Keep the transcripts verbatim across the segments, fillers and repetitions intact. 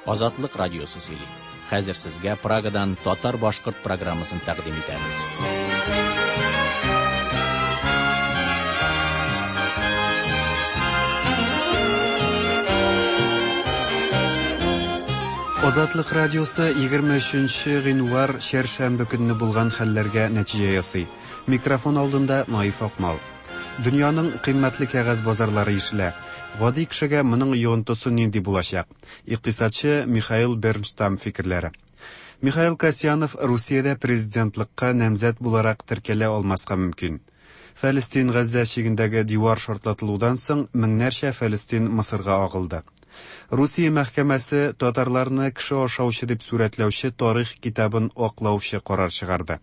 Азатлык радиосы сөйли. Хәзер сезгә Прагадан татар-башкорт программасын тәкъдим итәбез. Азатлык радиосы егерме өченче гыйнвар чәршәмбе көнне булган хәлләргә нәтиҗә ясый. Микрофон алдында Наиф Акмал. Дөньяның кыйммәтле кәгазь базарлары ишелә. Гади кешегә моның йогынтысы нинди булачак? Икътисадчы Михаил Бернштам фикерләре. Михаил Касьянов Русиядә президентлыкка намзәт буларак теркәлә алмаска мөмкин. Фәлестин Газзә чигендәге дивар шартлатылудан соң меңнәрчә фәлестин Мысырга агылды. Русия мәхкәмәсе татарларны кеше ашаучы дип сурәтләүче тарих китабын аклаучы карар чыгарды.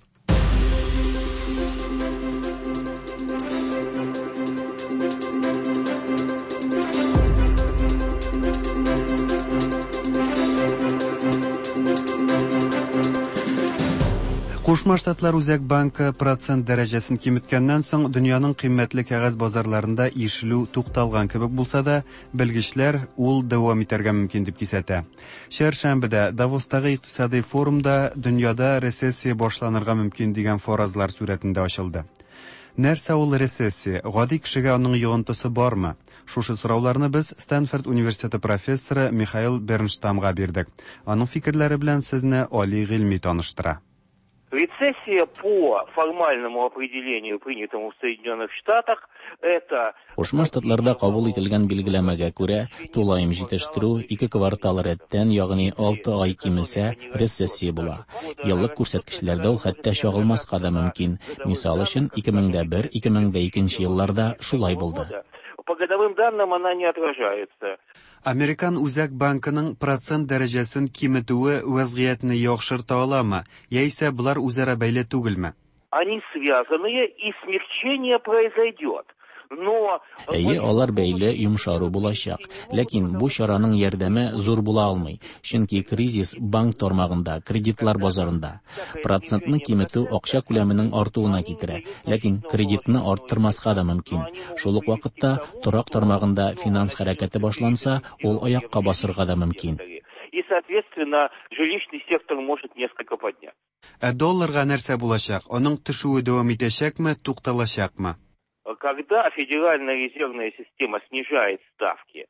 Кушма Штатлар Үзәк банкы процент дәрәҗәсен киметкәннән соң дөньяның кыйммәтле кәгазь базарларында ишелү тукталган кебек булса да, белгечләр ул дәвам итәргә мөмкин дип кисәтә. Чәршәмбедә Давостагы икътисади форумда дөньяда рецессия башланырга мөмкин дигән фаразлар сурәтендә ачылды. Нәрсә ул рецессия? Гади кешегә аның йогынтысы бармы? Шушы сорауларны без Стэнфорд университеты профессоры Михаил Бернштамга бирдек. Аның фикерләре белән сезне Али Гыйльми таныштыра. Рецессия по формальному определению, принятому в Соединенных Штатах, это... Кушма Штатларда кабул ителгән билгеләмәгә күрә, тулаем җитештерү ике квартал рәттән, ягъни алты ай кимесә, рецессия була. Еллык күрсәткечләрдә ул хәтта чагылмаска да мөмкин. Мисал өчен, ике мең дә бер, ике мең дә икенче елларда шулай булды. По годовым данным она не отражается. Американ Үзәк банкының процент дәрәҗәсен киметүе вәзгыятьне яхшырта аламы, яисә болар үзара бәйле түгелме? Они связаны, и смягчение произойдет. Но Әйе, алар бәйле, йомшару булачак. Ләкин бу чараның ярдәме зур була алмый, чөнки кризис банк тармагында, кредитлар базарында. Процентны киметү акча күләменең артуына китерә, ләкин кредитны арттырмаска да мөмкин. Шул ук вакытта торак тармагында финанс хәрәкәте башланса, ул аякка басырга да мөмкин. И, соответственно, жилищный сектор может несколько подняться. Ә долларга нәрсә булачак? Аның төшүе дәвам итәчәкме, тукталачакмы? Когда Федеральная резервная система снижает ставки,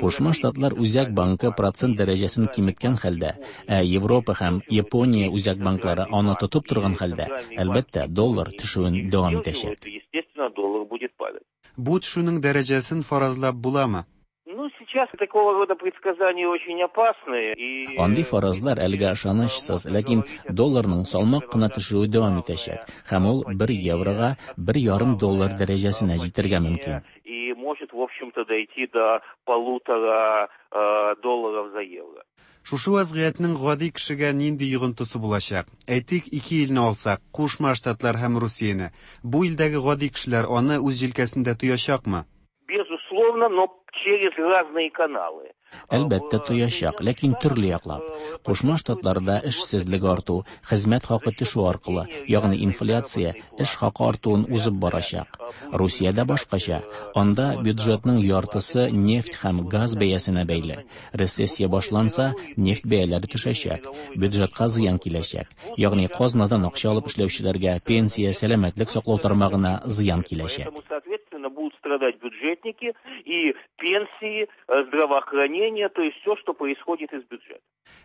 Кушма Штатлар Үзәк банкы процент дәрәҗәсен киметкән хәлдә, ә Европа һәм Япония үзәк банклары аны тотып торган хәлдә, әлбәттә, доллар төшүен дәвам итәчәк. Естественно, доллар будет падать. Бу төшүнең дәрәҗәсен фаразлап буламы? Ну, сейчас такого рода предсказания очень опасны. И... Андый фаразлар әлегә ышанычсыз, ләкин долларның салмак кына төшүе дәвам итәчәк, һәм ул бер еврога бер ярым доллар дәрәҗәсенә җитәргә мөмкин. И может, в общем-то, дойти до полутора, э, долларов за евро. Шушы вазгыятьнең гади кешегә нинди йогынтысы булачак? Әйтик, ике илне алсак, Кушма Штатлар һәм Русияне. Бу илдәге гади кешеләр аны үз җилкәсендә тоячакмы? Безусловно, но через разные каналы. Әлбәттә тоячак, ләкин төрле яклап. Кушма Штатларда эшсезлек арту, хезмәт хакы төшү аркылы, ягъни инфляция эш хакы артуын узып барачак. Русиядә башкача. Анда бюджетның яртысы нефть һәм газ бәясенә бәйле. Рецессия башланса, нефть бәяләре төшәчәк, бюджетка зыян киләчәк. Ягъни казнадан акча алып эшләүчеләргә, пенсия, сәламәтлек саклау тармагына зыян киләчәк. Поэтому, соответственно, будут страдать бюджетники и пенсии, здравоохранение, то есть все, что происходит из бюджета.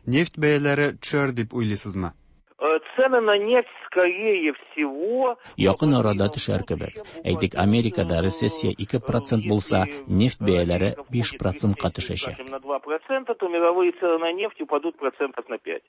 Нефть бәяләре төшәр дип уйлыйсызмы? Цены на нефть, скорее всего, якын арада төшәр кебек. Әйтик, Америкада рецессия ике процент булса, нефть бәяләре биш процентка төшәчәк. На два процента, то мировые цены на нефть упадут процентов на пять.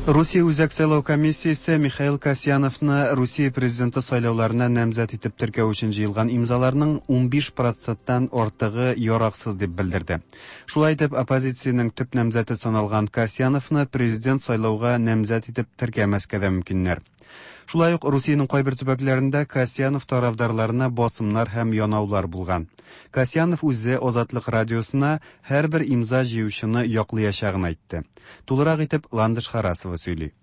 Русия Үзәк сайлау комиссиясе Михаил Касьяновны Русия президенты сайлауларына намзәт итеп теркәү өчен җыелган имзаларның унбиш проценттан артыгы яраксыз дип белдерде. Шулай итеп, оппозициянең төп намзәте саналган Касьяновны президент сайлауга намзәт итеп теркәмәскә дә мөмкиннәр. Шулай ук Русиянең кайбер төбәкләрендә Касьянов тарафдарларына басымнар һәм янаулар булган. Касьянов үзе Азатлык радиосына һәрбер имза җыючыны яклаячагын әйтте. Тулырак итеп Ландыш Харасова сөйли.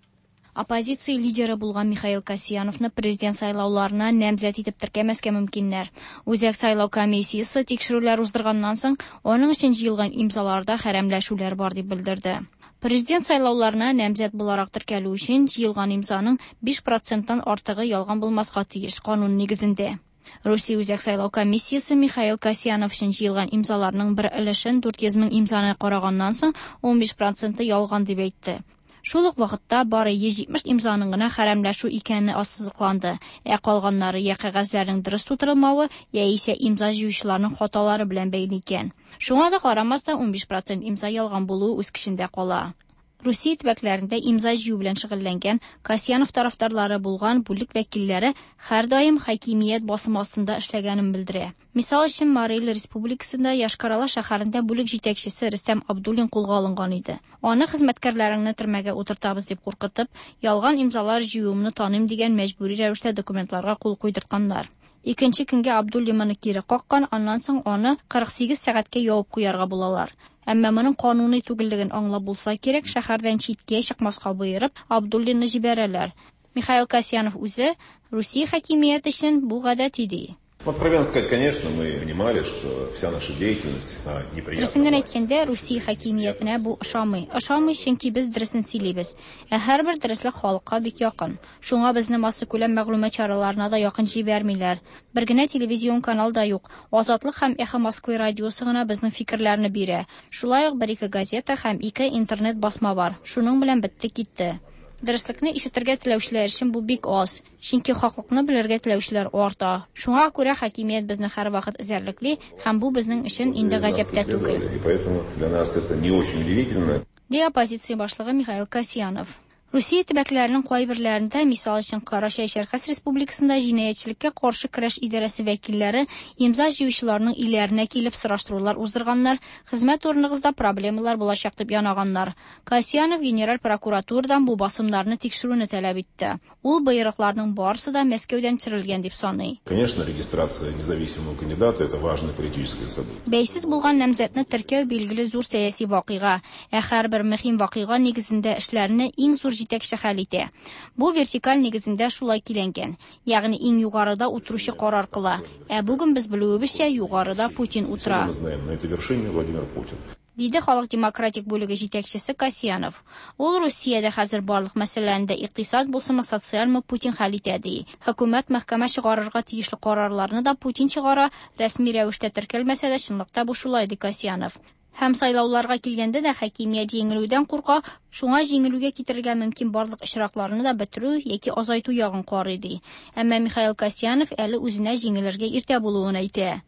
Оппозиция лидеры булган Михаил Касьяновны президент сайлауларына намзәт итеп теркәмәскә мөмкиннәр. Үзәк сайлау комиссиясе тикшерүләр уздырганнан соң, аның өчен җыелган имзаларда хәрәмләшүләр бар дип белдерде. Президент сайлауларына намзәт буларак теркәлү өчен җыелган имзаның биш проценттан артыгы ялган булмаска тиеш канун нигезендә. Русия Үзәк сайлау комиссиясе Михаил Касьянов өчен җыелган имзаларның бер өлешен дүрт йөз мең имзаны караганнан соң ун биш проценты ялган дип әйтте. Шул ук вакытта бары йөз җитмеш имзаның гына хәрәмләшү икәне ассызыкланды. Ә калганнары я кәгазьләрнең дөрес тутырылмавы, яисә имза җыючыларның хаталары белән бәйле икән. Шуңа да карамастан ун биш процент имза ялган булуы үз көчендә кала. Русия төбәкләрендә имза җыю белән шөгыльләнгән Касьянов тарафдарлары булган бүлек вәкилләре һәрдаим хакимият басымы астында эшләгәнен белдерә. Мисал өчен, Марий Эл Республикасында Йошкар-Ола шәһәрендә бүлек җитәкчесе Рөстәм Абдуллин кулга алынган иде. Аны хезмәткәрләреңне төрмәгә утыртабыз дип куркытып, ялган имзалар җыюымны таныйм дигән мәҗбүри рәвештә документларга кул куйдыртканнар. Икенче көнгә Абдуллин моны кире каккан, аннан соң аны кырык сигез сәгатькә ябып куярга булалар. Әмма моның кануни түгеллеген аңлап булса кирәк, шәһәрдән читкә чыкмаска боерып, Абдуллинны җибәрәләр. Михаил Касьянов үзе Русия хакимияте өчен бу гадәти ди. Откровенно сказать, конечно, мы понимали, что вся наша деятельность, она неприятна. Дөресен генә әйткәндә, Русия хакимиятенә бу ошамый. Ошамый, чөнки без дөресен сөйлибез. Ә һәрбер дөреслек халыкка бик якын. Шуңа безне массакүләм мәгълүмат чараларына да якын җибәрмиләр. Бер генә телевизион канал да юк. Азатлык һәм Эхо Москвы радиосы гына безнең фикерләрне бирә. Шулай ук бер-ике газета һәм ике интернет басма бар. Шуның белән бетте китте. Дөреслекне ишетергә теләүчеләр өчен бу бик аз, чөнки хаклыкны белергә теләүчеләр арта. Шуңа күрә хакимият безне һәрвакыт эзәрлекли, һәм бу безнең өчен инде гаҗәп тә түгел. И поэтому для нас это не очень удивительно. Ди оппозиция башлыгы Михаил Касьянов. Русия төбәкләренең кайберләрендә, мисал өчен, Карачай-Чәркәс Республикасында җинаятьчелеккә каршы көрәш идарәсе вәкилләре имза җыючыларның өйләренә килеп сораштырулар уздырганнар, хезмәт урыныгызда проблемалар булачак дип янаганнар. Касьянов генераль прокуратурадан бу басымнарны тикшерүне таләп итте. Ул боерыкларның барысы да Мәскәүдән төшерелгән дип саный. Конечно, регистрация независимого кандидата это важное политическое событие. Бәйсез булган намзәтне теркәү билгеле зур сәяси вакыйга, ә һәрбер мөһим вакыйга нигезендә эшләрне иң зур җитәкче хәл итә. Бу вертикаль нигезендә шулай киләнгән, ягъни иң югарыда утыручы карар кыла. Ә бүген без белүебезчә, югарыда Путин утыра. Мы знаем, на этой вершине Владимир Путин. Диде Халык демократик бүлеге җитәкчесе Касьянов. Ул Русиядә хәзер барлык мәсьәләне дә икътисад булсынмы, социальмы Путин хәл итә ди. Хөкүмәт мәхкәмә чыгарырга тиешле карарларны да Путин чыгара, рәсми рәвештә теркәлмәсә дә чынлыкта бу шулай ди Касьянов. Һәм сайлауларга килгәндә дә хакимият җиңелүдән курка, шуңа җиңелүгә китерергә мөмкин барлык очракларны да бетерү яки азайту ягын карый ди. Әмма Михаил Касьянов әле үзенә җиңелергә иртә булуын әйтә.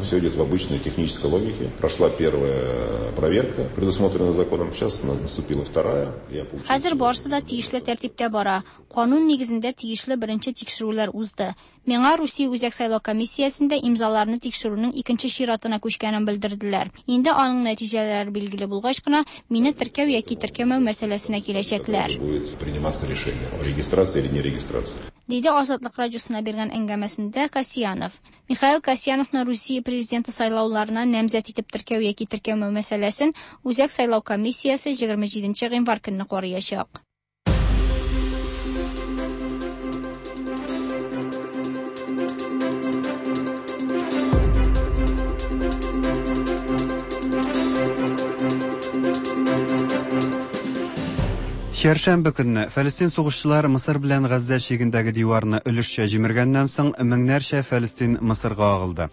Все идет в обычной технической логике. Прошла первая проверка, предусмотренная законом. Сейчас наступила вторая. Я получил Хәзер барысы да тиешле тәртиптә бара. Канун нигезендә тиешле беренче тикшерүләр узды. Миңа Русия Үзәк сайлау комиссиясендә имзаларны тикшерүнең икенче чиратына күчкәнен белдерделәр. Инде аның нәтиҗәләре билгеле булгач кына мине теркәү яки теркәмәү мәсьәләсенә киләчәкләр. Будет приниматься решение о регистрации или нерегистрации. Диде Азатлык радиосына биргән әңгәмәсендә Касьянов. Михаил Касьяновны Русия президенты сайлауларына намзәт итеп теркәү яки теркәмәү мәсьәләсен Үзәк сайлау комиссиясе егерме җиденче гыйнвар көнне караячак. Чәршәмбе көнне Фәлестин сугышчылары Мысыр белән Газзә чигендәге диварны өлешчә җимергәннән соң меңнәрчә Фәлестин Мысырга агылды.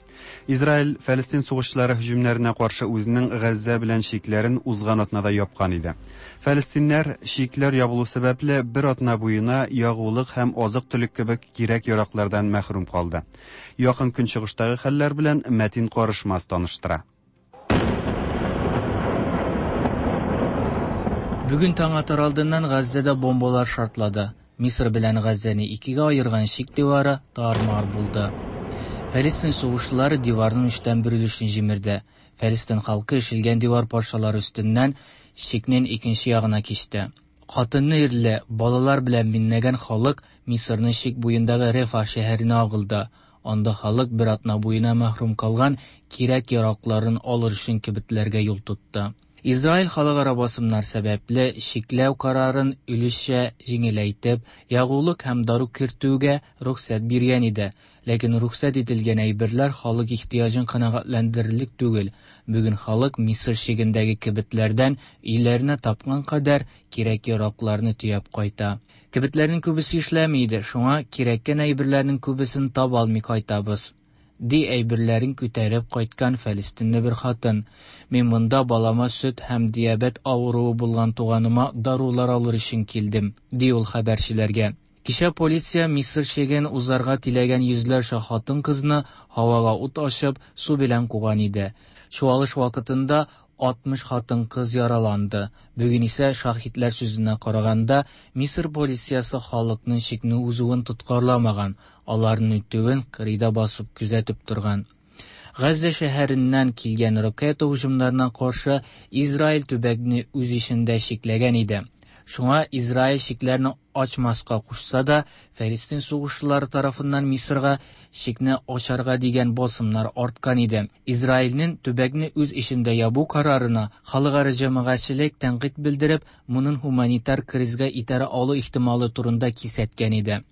Израиль Фәлестин сугышчылары һөҗүмнәренә каршы үзенең Газзә белән чикләрен узган атнада япкан иде. Фәлестиннәр чикләр ябылу сәбәпле бер атна буена ягулык һәм азык-төлек кебек кирәк-яраклардан мәхрүм калды. Якын көнчыгыштагы хәлләр белән Мәтин Карышмас таныштыра. Бүген таң атар алдыннан Газзәдә бомбалар шартлады. Мисыр белән Газзәне икегә аерган чик дивары тар-мар булды. Фәлестин сугышчылары диварның өчтән бер өлешен җимерде. Фәлестин халкы ишелгән дивар парчалары өстеннән чикнең икенче ягына кичте. Хатынны ирле, балалар белән миннәгән халык Мисырның чик буендагы Рефа шәһәренә агылды. Анда халык бер атна буена мәхрүм калган кирәк-яракларын алыр өчен кибетләргә юл тотты. Израиль халыкара басымнар сәбәпле чикләү карарын өлешчә җиңеләйтеп, ягулык һәм дару кертүгә рөхсәт биргән иде. Ләкин рөхсәт ителгән әйберләр халык ихтыяҗын канәгатьләндерерлек түгел. Бүген халык Мисыр чигендәге кибетләрдән өйләренә тапкан кадәр кирәк-яракларны төяп кайта. Кибетләрнең күбесе эшләми иде, шуңа кирәккән әйберләрнең күбесен таба алмый кайтабыз, ди әйберләрен күтәреп кайткан фәлестинле бер хатын. Мин монда балама сөт һәм диабет авыруы булган туганыма дарулар алыр өчен килдем, ди ул хәбәрчеләргә. Кичә полиция Мисыр чиген узарга теләгән йөзләрчә хатын-кызны һавага ут ачып, су белән куган иде. Чуалыш вакытында алтмыш хатын-кыз яраланды. Бүген исә шаһитләр сүзенә караганда, Мисыр полициясе халыкның чикне узуын тоткарламаган, аларның үтүен кырыйда басып күзәтеп торган. Газзә шәһәреннән килгән ракета һөҗүмнәренә каршы Израиль төбәкне үз эчендә чикләгән иде. Шуңа Израиль чикләрне ачмаска кушса да, Фәлестин сугышчылары тарафыннан Мисырга чикне ачарга дигән басымнар арткан иде. Израильнең төбәкне үз эчендә ябу карарына халыкара җәмәгатьчелек тәнкыйть белдереп, моның гуманитар кризга итәрә алу ихтималы турында кисәткән иде.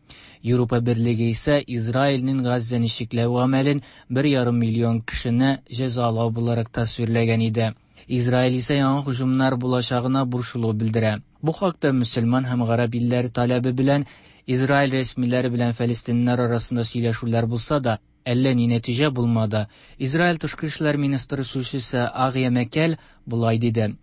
Европа Берлеге исә Израильнең Газзәне чикләү гамәлен бер ярым миллион кешене җәзалау буларак тасвирләгән иде. Израиль исә яңа һөҗүмнәр булачагына борчылу белдерә. Бу хакта мөселман һәм гарәп илләре таләбе белән Израиль рәсмиләре белән фәлестиннәр арасында сөйләшүләр булса да, әллә ни нәтиҗә булмады. Израиль тышкы эшләр министры сүзчесе Агия Мәкәл болай диде.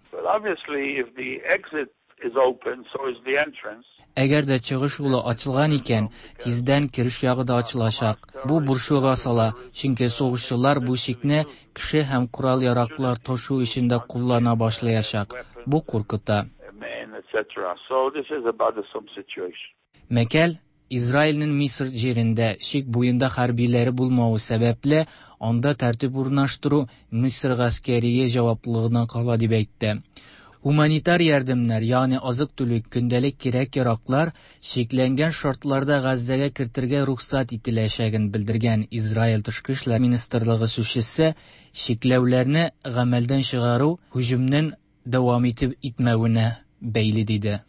Әгәр дә чыгыш юлы ачылган икән, тиздән кереш ягы да ачылачак. Бу борчуга сала, чөнки сугышчылар бу чикне кеше һәм корал-яраклар ташу өчен дә куллана башлаячак. Бу куркыта. Мәкәл Израильнең Мисыр җирендә чик буенда хәрбиләре булмавы сәбәпле, анда тәртип урнаштыру Мисыр гаскәрие җаваплылыгына кала дип әйтте. Гуманитар ярдәмнәр, ягъни азык-төлек, көндәлек кирәк-яраклар чикләнгән шартларда Газзәгә кертергә рөхсәт ителәчәген белдергән Израиль тышкы эшләр министрлыгы сүзчесе чикләүләрне гамәлдән чыгару һөҗүмнең дәвам итеп итмәвенә бәйле диде.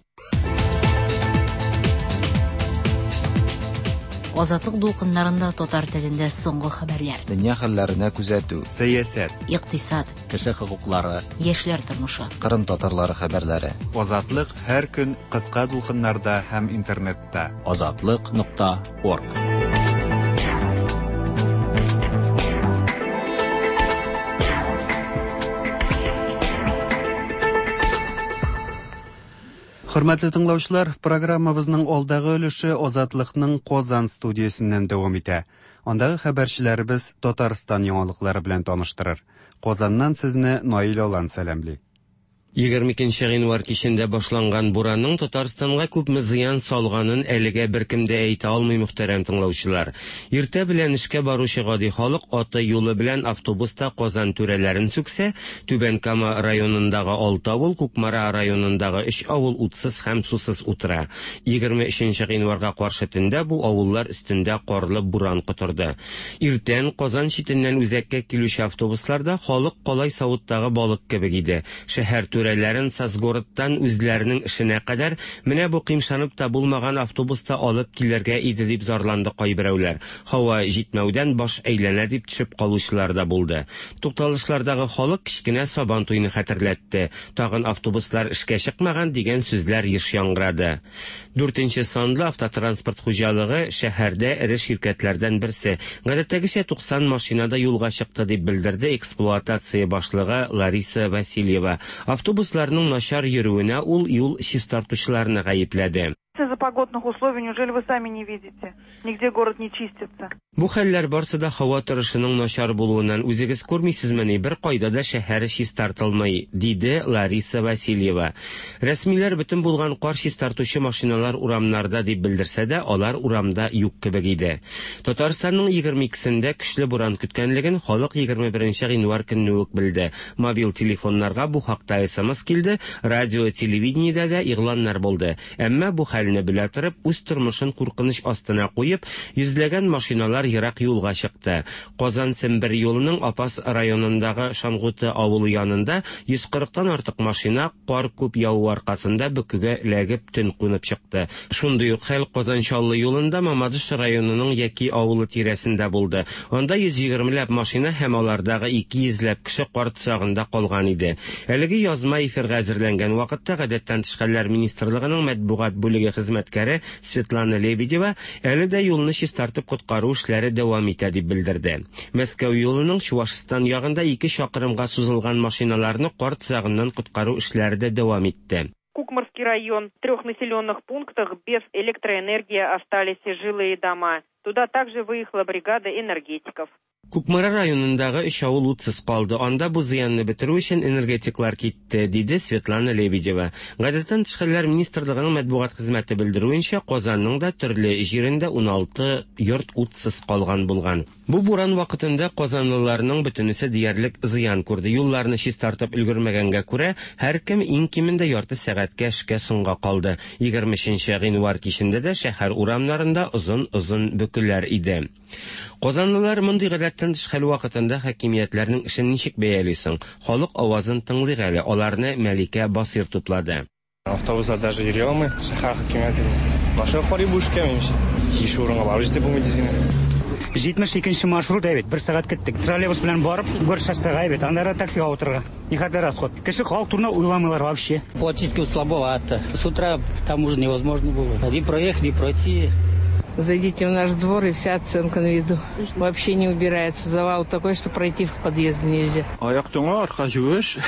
Азатлык дулкыннарында татар телендә соңгы хәбәрләр. Дөнья хәлләренә күзәтү. Сәясәт. Икътисад. Кеше хокуклары. Яшьләр тормышы. Кырым татарлары хәбәрләре. Азатлык һәр көн кыска дулкыннарда һәм интернетта. Азатлык нокта орг. Хөрмәтле тыңлаучылар, программабызның алдагы өлеше Азатлыкның Казан студиясеннән дәвам итә. Андагы хәбәрчеләребез Татарстан яңалыклары белән таныштырыр. Казаннан сезне Наил Алан сәламли. Егерме икенче гыйнвар кичендә башланган буранның Татарстанга күпме зыян салганын әлегә беркем дә әйтә алмый, мөхтәрәм тыңлаучылар. Иртә белән эшкә баручы гади халык аты юлы белән автобуста Казан түрәләрен сүксә, Түбән Кама районындагы алты авыл, Кукмара районындагы өч авыл утсыз һәм сусыз утыра. Егерме өченче гыйнварга каршы төндә бу авыллар өстендә карлы буран котырды. Иртән Казан читеннән үзәккә килүче автобусларда халык калай савыттагы балык кебек иде. Шәһәр түрәләрен Сазгородтан үзләренең эшенә кадәр менә бу кыймшанып та булмаган автобуста алып килергә иде дип зарланды кайберәүләр. Һава җитмәүдән баш әйләнә дип төшеп калучылар да булды. Тукталышлардагы халык кечкенә Сабан туйны хәтерләтте. Тагын автобуслар эшкә чыкмаган дигән сүзләр еш яңгырады. Дүртенче санлы автотранспорт хуҗалыгы шәһәрдә эре ширкәтләрдән берсе. Гадәттәгечә туксан машинада юлга чыкты дип белдерде эксплуатация башлыгы Лариса Васильева. Автобусларның начар йөрүенә ул юл чистартучыларны гаепләде. Из-за погодных условий, неужели вы сами не видите? Нигде город не чистится. Бу хәлләр барсы да һава торышының начар булуыннан үзегез күрмисезмени, бер кайда да шәһәр чистартылмый, диде Лариса Васильева. Рәсмиләр бөтен булган кар чистартучы машиналар урамнарда дип белдерсә дә, алар урамда юк кебек иде. Татарстанның егерме икесендә көчле буран көткәнлеген халык егерме беренче гыйнвар көнне үк белде. Мобиль телефоннарга бу хакта эс эм эс килде, радио, телевидениедә дә игъланнар булды. Әмма бу хәл хәлне белә торып, үз тормышын куркыныч астына куеп, йөзләгән машиналар ерак юлга чыкты. Казан-Сембер юлының Апас районындагы Шангуты авылы янында йөз кырыктан артык машина кар күп яву аркасында бөкегә эләгеп төн кунып чыкты. Шундый ук хәл Казан-Чаллы юлында Мамадыш районының Яки авылы тирәсендә булды. Анда йөз егермеләп машина һәм алардагы ике йөзләп кеше кар тозагында калган иде. Әлеге язма эфирга әзерләнгән вакытта Гадәттән тыш хәлләр министрлыгының матбугат бүлеге хезмәткәре Светлана Лебедева әле дә юлны чистартып коткару эшләре дәвам итә дип белдерде. Мәскәү юлының Чувашстан ягында ике чакрымга сузылган машиналарны кар тозагыннан коткару эшләре дә дәвам итте. Кукмарский район. В трех населенных пунктах без электроэнергии остались жилые дома. Туда также выехала бригада энергетиков. Кукмара районындагы өч авыл утсыз калды. Анда бу зыянны бетерү өчен энергетиклар китте, диде Светлана Лебедева. Гадәттән тыш хәлләр министрлыгының матбугат хезмәте белдерүенчә, Казанның да төрле җирендә уналты йорт утсыз калган булган. Бу буран вакытында казанлыларның бөтенесе диярлек зыян күрде. Юлларны чистартып өлгермәгәнгә күрә, һәркем иң кимендә ярты сәгатькә эшкә соңга калды. егерме өченче гыйнвар кичендә дә шәһәр урамнарында озын-озын бөкеләр иде. Казанлылар мондый гадәттән тыш хәл вакытында хакимиятләрнең эшен ничек бәяли соң? Халык авазын тыңлыйк әле. Аларны Мәликә Басир туплады. Автобуслар даже йөри алмый шәһәр хакимияте. Машина карый бу эшкә минемчә. Тиеш урынга барып җитеп булмый дисеңме? җитмеш икенче маршрут әйбәт, бер сәгать киттек. Троллейбус белән барып, Горшоссега әйбәт, аннары таксига утырырга. Никадәр расход. Кеше халык турында уйламыйлар вообще. Платически слабовато. С утра там уже невозможно было. Ни проехать, ни пройти. Зайдите в наш двор, и вся оценка на виду. Вообще не убирается. Завал такой, что пройти в подъезд нельзя. Аяк туңа, арка юеш.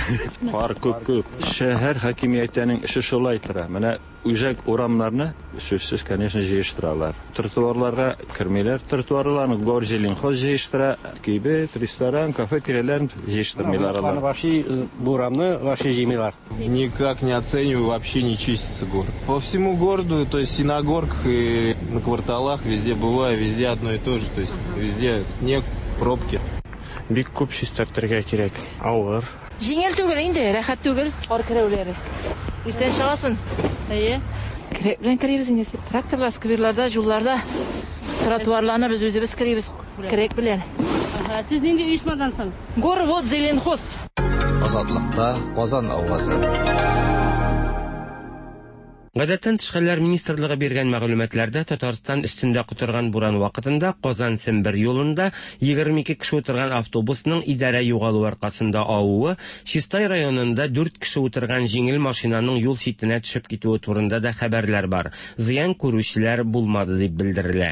Кар күп-күп. Шәһәр хакимиятенең эше шулай тора. Менә үзәк урамнарны сүзсез, конечно, җыештыралар. Тротуарларга кермиләр. Тротуарларны Горзеленхоз җыештыра. Кибет, ресторан, кафе тирәләрен җыештырмыйлар алар. Вообще бурамны вообще җыймыйлар. Никак не оцениваю, вообще не чистится город. По всему городу, то есть и на горках, и на кварталах, везде бываю, везде одно и то же, то есть везде снег, пробки. Бик күп чистартырга кирәк. Авыр. Җиңел түгел инде, рәхәт түгел, кар керәүләре. Иртән чыгасың. Әйе. Керәк белән керәбез инде. Тракторлар скверларда, юлларда, тротуарларны без үзебез керәбез, керәк белән. Сез нинди оешмадан соң? Горвод Зеленхоз. Азатлыкта Казан авазы. Гадәттән тыш хәлләр министрлыгы биргән мәгълүматларда Татарстан өстендә котырган буран вакытында Казан-Сембер юлында егерме ике кеше утырган автобусның идарә югалу аркасында авуы, Чистай районында дүрт кеше утырган җиңел машинаның юл читенә төшеп китүе турында да хәбәрләр бар. Зыян күрүчеләр булмады дип белдерелә.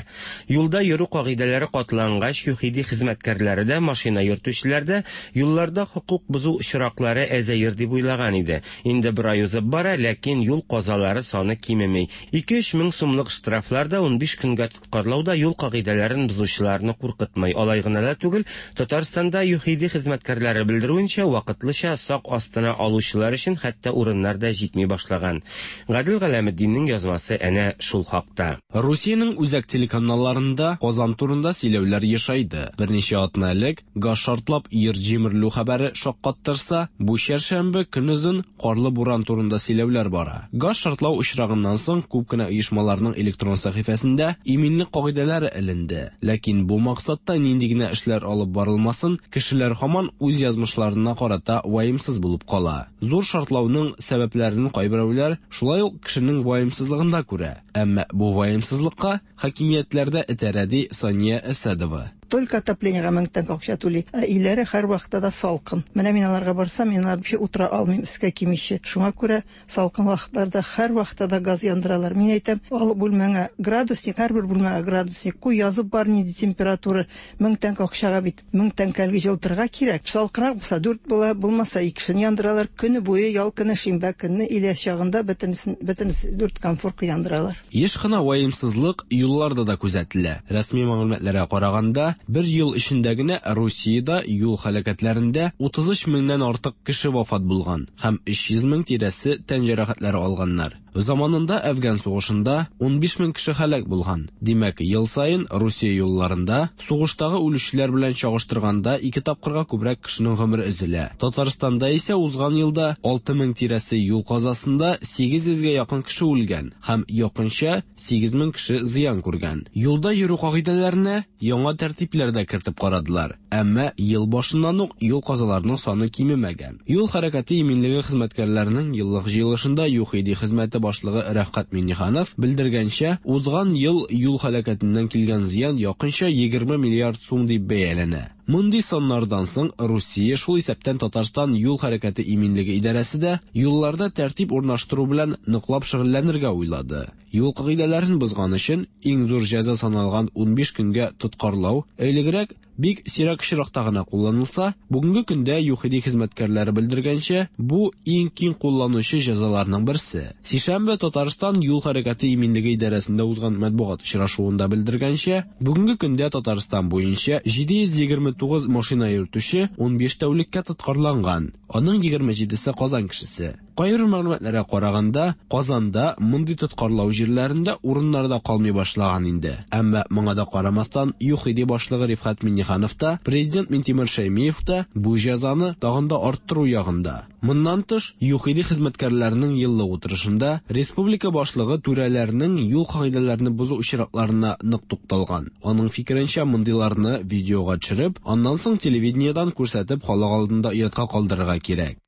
Юлда йөрү кагыйдәләре катлангач, ЮХИДИ хезмәткәрләре дә, машина йөртүчеләр дә юлларда хокук бозу очраклары әзәер дип уйлаган иде. Инде бер ай узып бара, ләкин юл казалары саны кимеми. Ике-өч мең сумлык штрафлар да унбиш көнгә тоткарлау да юл кагыйдәләрен бозучыларны куркытмый. Алай гына да түгел, Татарстанда ЮХИДИ хезмәткәрләре белдерүенчә, вакытлыча сак астына алучылар өчен хәтта урыннар да җитми башлаган. Гадел Галәметдиннең язмасы әнә шул хакта. Русиянең үзәк телеканалларында Казан турында сөйләүләр ешайды. Берничә атна элек газ шартлап йорт җимерелү хәбәре шаккаттырса, бу чәршәмбе көнозын карлы буран турында сөйләүләр бара. Газ шартлау очрагыннан соң күп кенә оешмаларның электрон сәхифәсендә иминлек кагыйдәләре эленде. Ләкин бу максатта нинди генә эшләр алып барылмасын, кешеләр һаман үз язмышларына карата ваемсыз булып кала. Зур шартлауның сәбәпләрен кайберәүләр шулай ук кешенең ваемсызлыгында күрә. Әмма бу ваемсызлыкка хакимиятләрдә этәрә, ди Сания Әсәдова. Только отоплениега мең тәңкә акча түли. Ә өйләре һәр вакытта да салкын. Менә мин аларга барсам, мин алар вообще утыра алмыйм, эскә кимичә. Шуңа күрә салкын вакытларда һәр вакытта да газ яндыралар. Мин әйтәм, ал бүлмәңә градусник, һәрбер бүлмәгә градусник куй, язып бар нинди температура. Мең тәңкә акчага бит мең тәңкәлге җылытырга кирәк. Салкынрак булса дүрт була, булмаса икесен яндыралар. Көне буе ял көне, шимбә көнне илә чагында бөтенесен бөтенесе дүрт комфорка яндыралар. Еш кына ваемсызлык юлларда да күзәтелә. Рәсми мәгълүматларга караганда, бер ел эчендә генә Русиядә юл һәлакәтләрендә утыз өч меңнән артык кеше вафат булган һәм өч йөз мең тирәсе тән җәрәхәтләре алганнар. Заманында Әфган сугышында унбиш мең кеше һәлак булган. Димәк, ел саен Русия юлларында сугыштагы үлүчеләр белән чагыштырганда ике тапкырга күбрәк кешенең гомере өзелә. Татарстанда исә узган елда алты мең тирәсе юл казасында сигез йөзгә якын кеше үлгән һәм якынча сигез мең кеше зыян күргән. Юлда йөрү кагыйдәләренә яңа тәртипләр дә кертеп карадылар. Әмма ел башыннан ук юл казаларының саны кимемәгән. Юл хәрәкәте иминлеге хезмәткәрләренең еллык җыелышында ЮХИДИ хезмәте башлыгы Рәфкать Минниханов белдергәнчә, узган ел юл һәлакәтеннән килгән зыян якынча егерме миллиард сум дип бәяләнә. Мондый саннардан соң Русия, шул исәптән Татарстан юл хәрәкәте иминлеге идарәсе дә юлларда тәртип урнаштыру белән ныклап шөгыльләнергә уйлады. Юл кагыйдәләрен бозган өчен иң зур җәза саналган унбиш көнгә тоткарлау элегрәк бик сирәк очракта гына кулланылса, бүгенге көндә ЮХИДИ хезмәткәрләре белдергәнчә, бу иң киң кулланучы җәзаларның берсе. Сишәмбе Татарстан юл хәрәкәте иминлеге идарәсендә узган матбугат очрашуында белдергәнчә, бүгенге көндә Татарстан буенча җиде йөз егерме тугыз машина йөртүче унбиш тәүлеккә тоткарланган. Аның егерме җидесе Казан кешесе. Кайбер мәгълүматларга караганда, Казанда мондый тоткарлау җирләрендә урыннар да калмый башлаган инде. Әмма моңа да карамастан, ЮХИДИ башлыгы Рифкать Минниханов та, президент Минтимер Шәймиев та бу җәзаны тагын да арттыру ягында. Моннан тыш, ЮХИДИ хезмәткәрләренең еллык утырышында республика башлыгы түрәләрнең юл кагыйдәләрен бозу очракларына нык тукталган. Аның фикеренчә, мондыйларны видеога төшереп, аннан соң телевидениедән күрсәтеп халык алдында оятка калдырырга кирәк.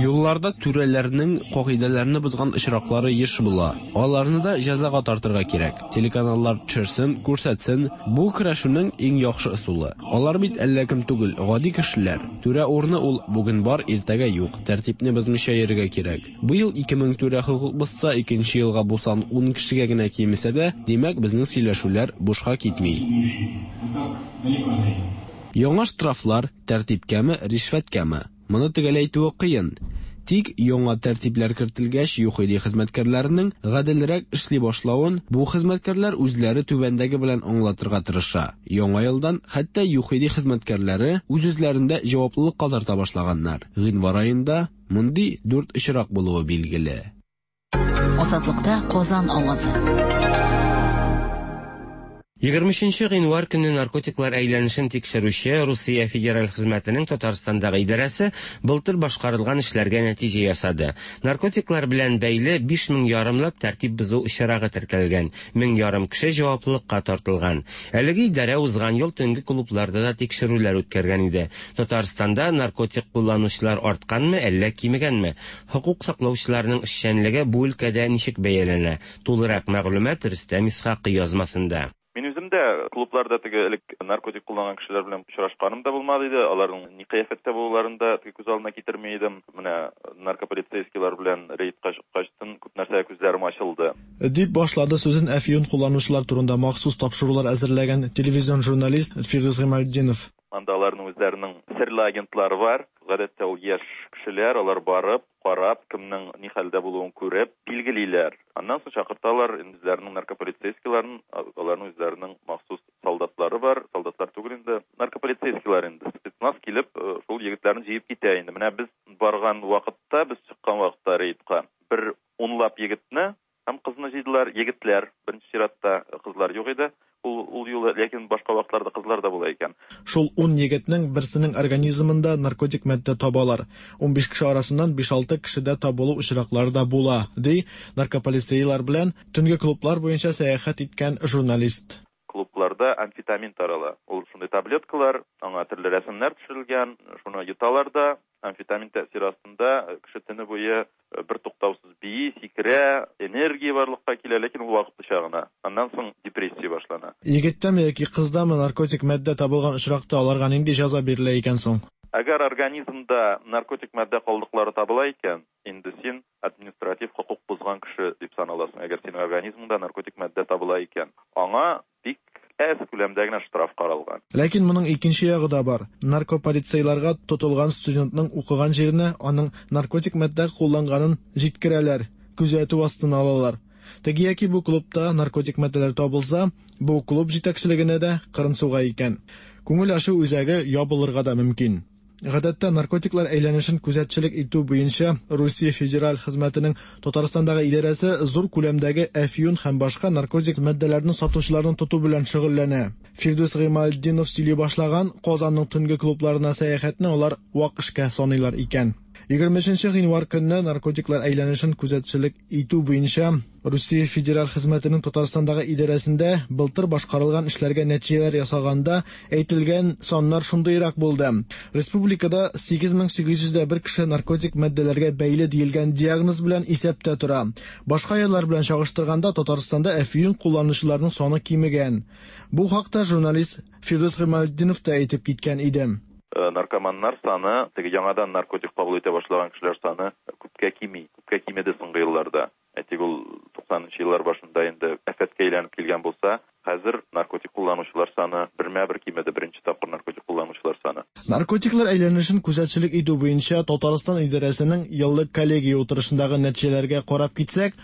Юлларда түрәләрнең кагыйдәләрне бозган очраклары еш була. Аларны да җәзага тартырга кирәк. Телеканаллар төшерсен, күрсәтсен. Бу көрәшүнең иң яхшы ысулы. Алар бит әллә кем түгел, гади кешеләр. Түрә урыны ул бүген бар, иртәгә юк. Тәртипне бозмыйча йөрергә кирәк. Быел ике мең түрә хокук бозса, икенче елга бу сан ун кешегә генә кимесә дә, димәк, безнең сөйләшүләр бушка китми. Яңа штрафлар тәртипкәме, ришвәткәме? Моны төгәл әйтүе кыен. Тик яңа тәртипләр кертелгәч, ЮХИДИ хезмәткәрләренең гаделрәк эшли башлавын бу хезмәткәрләр үзләре түбәндәге белән аңлатырга тырыша. Яңа елдан хәтта ЮХИДИ хезмәткәрләре үз-үзләрендә җаваплылыкка тарта башлаганнар. Гыйнвар аенда мондый дүрт очрак булуы билгеле. Азатлыкта Казан авазы. Егерме өченче гыйнвар көнне наркотиклар әйләнешен тикшерүче Русия Федераль хезмәтенең Татарстандагы идарәсе былтыр башкарылган эшләргә нәтиҗә ясады. Наркотиклар белән бәйле биш мең ярымлап тәртип бозу очрагы теркәлгән, мең ярым кеше җаваплылыкка тартылган. Әлеге идарә узган ел төнге клубларда да тикшерүләр үткәргән иде. Татарстанда наркотик кулланучылар артканмы, әллә кимегәнме? Хокук саклаучыларның эшчәнлеге бу өлкәдә ничек бәяләнә? Тулырак мәгълүмат Рөстәм Исхакый язмасында. Мин үзем дә клубларда теге элек наркотик кулланган кешеләр белән очрашканым да булмады иде. Аларның ни кыяфәттә булуларын да теге күз алдына китерми идем. Менә наркополицейскийлар белән рейдка чыккачтын күп нәрсәгә күзләрем ачылды. Дип башлады сүзен әфьюн кулланучылар турында махсус тапшырулар әзерләгән телевизион журналист Фирдүс Гыймалтдинов. Анда аларның үзләренең серле агентлары бар. Гадәттә ул яшь кешеләр, алар барып, карап, кемнең ни хәлдә булуын күреп, билгелиләр. Аннан соң чакырталар үзләренең наркополицейскийларын, аларның үзләренең махсус солдатлары бар, солдатлар түгел инде, наркополицейскийлар инде. Спецназ килеп, шул егетләрне җыеп китә инде. Менә без барган вакытта, без чыккан вакытта рейдка бер унлап егетне һәм кызны җыйдылар. Егетләр, беренче чиратта кызлар юк иде. Ул, ул юлы, ләкин башка вакытларда кызлар да була икән. Шул ун егетнең берсенең организмында наркотик матдә табалар. Унбиш кеше арасыннан биш-алты кешедә табылу очраклары да була, ди наркополицейлар белән төнге клублар буенча сәяхәт иткән журналист. Клубларда амфетамин тарала. Ул шундый таблеткалар, аңа төрле рәсемнәр төшерелгән, шуны йоталар да, амфетамин тәэсире астында кеше төне буе бер туктаусыз бии, сикерә, энергия барлыкка килә, ләкин ул вакытлыча гына. Аннан соң депрессия башлана. Егеттәме яки кыздамы наркотик матдә табылган очракта аларга нинди җәза бирелә икән соң? Әгәр организмда наркотик матдә калдыклары табыла икән, инде син административ хокук бозган кеше дип саналасың. Әгәр синең организмыңда наркотик матдә табыла икән, аңа бик әз күләмдә генә штраф каралган. Ләкин моның икенче ягы да бар. Наркополицейларга тотылган студентның укыган җиренә аның наркотик матдә кулланганын җиткерәләр, күзәтү астына алалар. Теге яки бу клубта наркотик матдәләр табылса, бу клуб җитәкчелегенә дә кырын суга икән. Күңел ачу үзәге ябылырга да мөмкин. Гадәттә наркотиклар әйләнешен күзәтчелек итү буенча Русия федераль хезмәтенең Татарстандагы идарәсе зур күләмдәге әфьюн һәм башка наркотик матдәләрне сатучыларны тоту белән шөгыльләнә. Фирдүс Гыймалтдинов сөйли башлаган Казанның төнге клубларына сәяхәтне алар вак эшкә саныйлар икән. Егерме өченче гыйнвар көнне наркотиклар әйләнешен күзәтчелек итү буенча Русия федераль хезмәтенең Татарстандагы идарәсендә былтыр башкарылган эшләргә нәтиҗәләр ясаганда әйтелгән саннар шундыйрак булды. Республикада сигез мең сигез йөз дә бер кеше наркотик матдәләргә бәйле диелгән диагноз белән исәптә тора. Башка еллар белән чагыштырганда Татарстанда әфьюн кулланучыларның саны кимегән. Бу хакта журналист Фирдүс Гыймалтдинов та әйтеп киткән иде. Наркоманнар саны, теге яңадан наркотик кабул итә башлаган кешеләр саны күпкә кими, күпкә кимеде соңгы елларда. Әйтик, ул туксанынчы еллар башында инде афәткә әйләнеп килгән булса, хәзер наркотик кулланучылар саны бермә-бер кимеде, беренче тапкыр наркотик кулланучылар саны. Наркотиклар әйләнешен күзәтчелек итү буенча Татарстан идарәсенең еллык коллегия утырышындагы нәтиҗәләргә карап китсәк,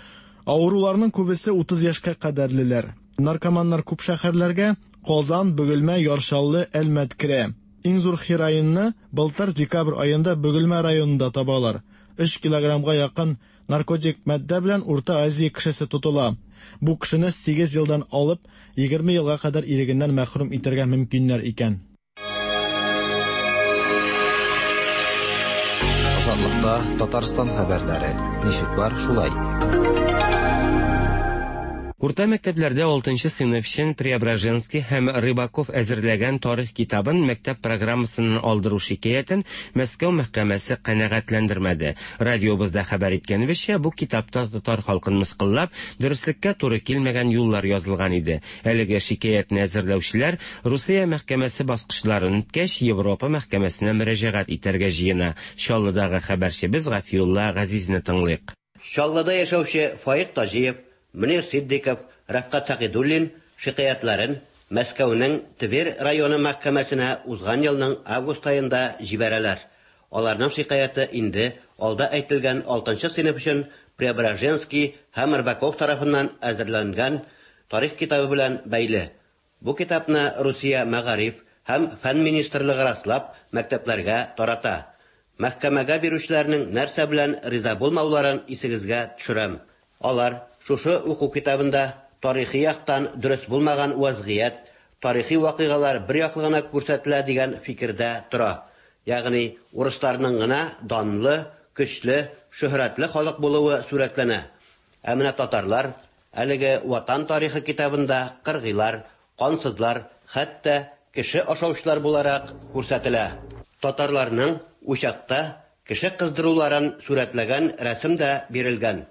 авыруларның күбесе утыз яшькә кадәрлеләр. Наркоманнар күп шәһәрләргә Казан, Бөгелмә, Яр Чаллы, Әлмәт керә. Иң зур хероинны былтыр декабрь аенда Бөгелмә районында табалар. Өч килограммга якын наркотик матдә белән Урта Азия кешесе тотыла. Бу кешене сигез елдан алып егерме елга кадәр ирегеннән мәхрүм итәргә мөмкиннәр икән. Азатлыкта Татарстан хәбәрләре. Ничек бар, шулай. Урта мәктәпләрдә алтынчы сыйныф өчен Преображенский һәм Рыбаков әзерләгән тарих китабын мәктәп программасыннан алдыру шикаятен Мәскәү мәхкәмәсе канәгатьләндермәде. Радиобызда хәбәр иткәнебезчә, бу китапта татар халкын мыскыллап, дөреслеккә туры килмәгән юллар язылган иде. Әлеге шикаятне әзерләүчеләр Русия мәхкәмәсе баскычларын үткәч, Европа мәхкәмәсенә мөрәҗәгать итәргә җыена. Чаллыдагы хәбәрчебез Гафиулла Газизне тыңлыйк. Чаллыда яшәүче Фаик Таҗиев, Мөнир Сиддиков, Рәфкать Сәгыйдуллин шикаятьләрен Мәскәүнең Тверь районы мәхкәмәсенә узган елның август аенда җибәрәләр. Аларның шикаяте инде алда әйтелгән алтынчы сыйныф өчен Преображенский һәм Рыбаков тарафыннан әзерләнгән тарих китабы белән бәйле. Бу китапны Русия мәгариф һәм фән министрлыгы раслап мәктәпләргә тарата. Мәхкәмәгә бирүчеләрнең нәрсә белән риза булмауларын исегезгә төшерәм. Алар шушы уку китабында тарихи яктан дөрес булмаган вазгыять, тарихи вакыйгалар бер яклы гына күрсәтелә дигән фикердә тора. Ягъни урысларның гына данлы, көчле, шөһрәтле халык булуы сурәтләнә. Ә менә татарлар әлеге ватан тарихы китабында кыргыйлар, кансызлар, хәтта кеше ашаучылар буларак күрсәтелә. Татарларның учакта кеше кыздыруларын сурәтләгән рәсем дә бирелгән.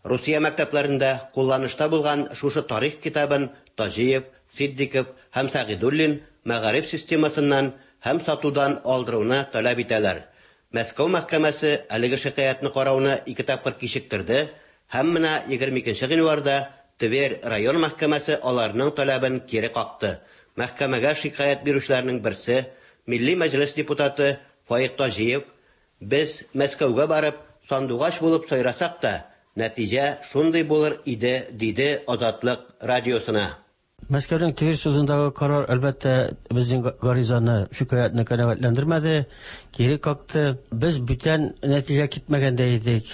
Русия мәктәпләрендә кулланышта булган шушы тарих китабын Таҗиев, Сиддиков һәм Сәгыйдуллин мәгариф системасыннан һәм сатудан алдыруны таләп итәләр. Мәскәү мәхкәмәсе әлеге шикаятьне карауны ике тапкыр кичектерде һәм менә егерме икенче гыйнварда Тверь район мәхкәмәсе аларның таләбен кире какты. Мәхкәмәгә шикаять бирүчеләрнең берсе, Милли Мәҗлес депутаты Фаик Таҗиев, без Мәскәүгә барып сандугач булып сайрасак та, нәтиҗә шундый булыр иде, диде Азатлык радиосына. Мәскәүнең Тверь судындагы карар әлбәттә безнең гаризаны, шикаятьне канәгатьләндермәде, кире какты. Без бүтән нәтиҗә китмәгәндә идек.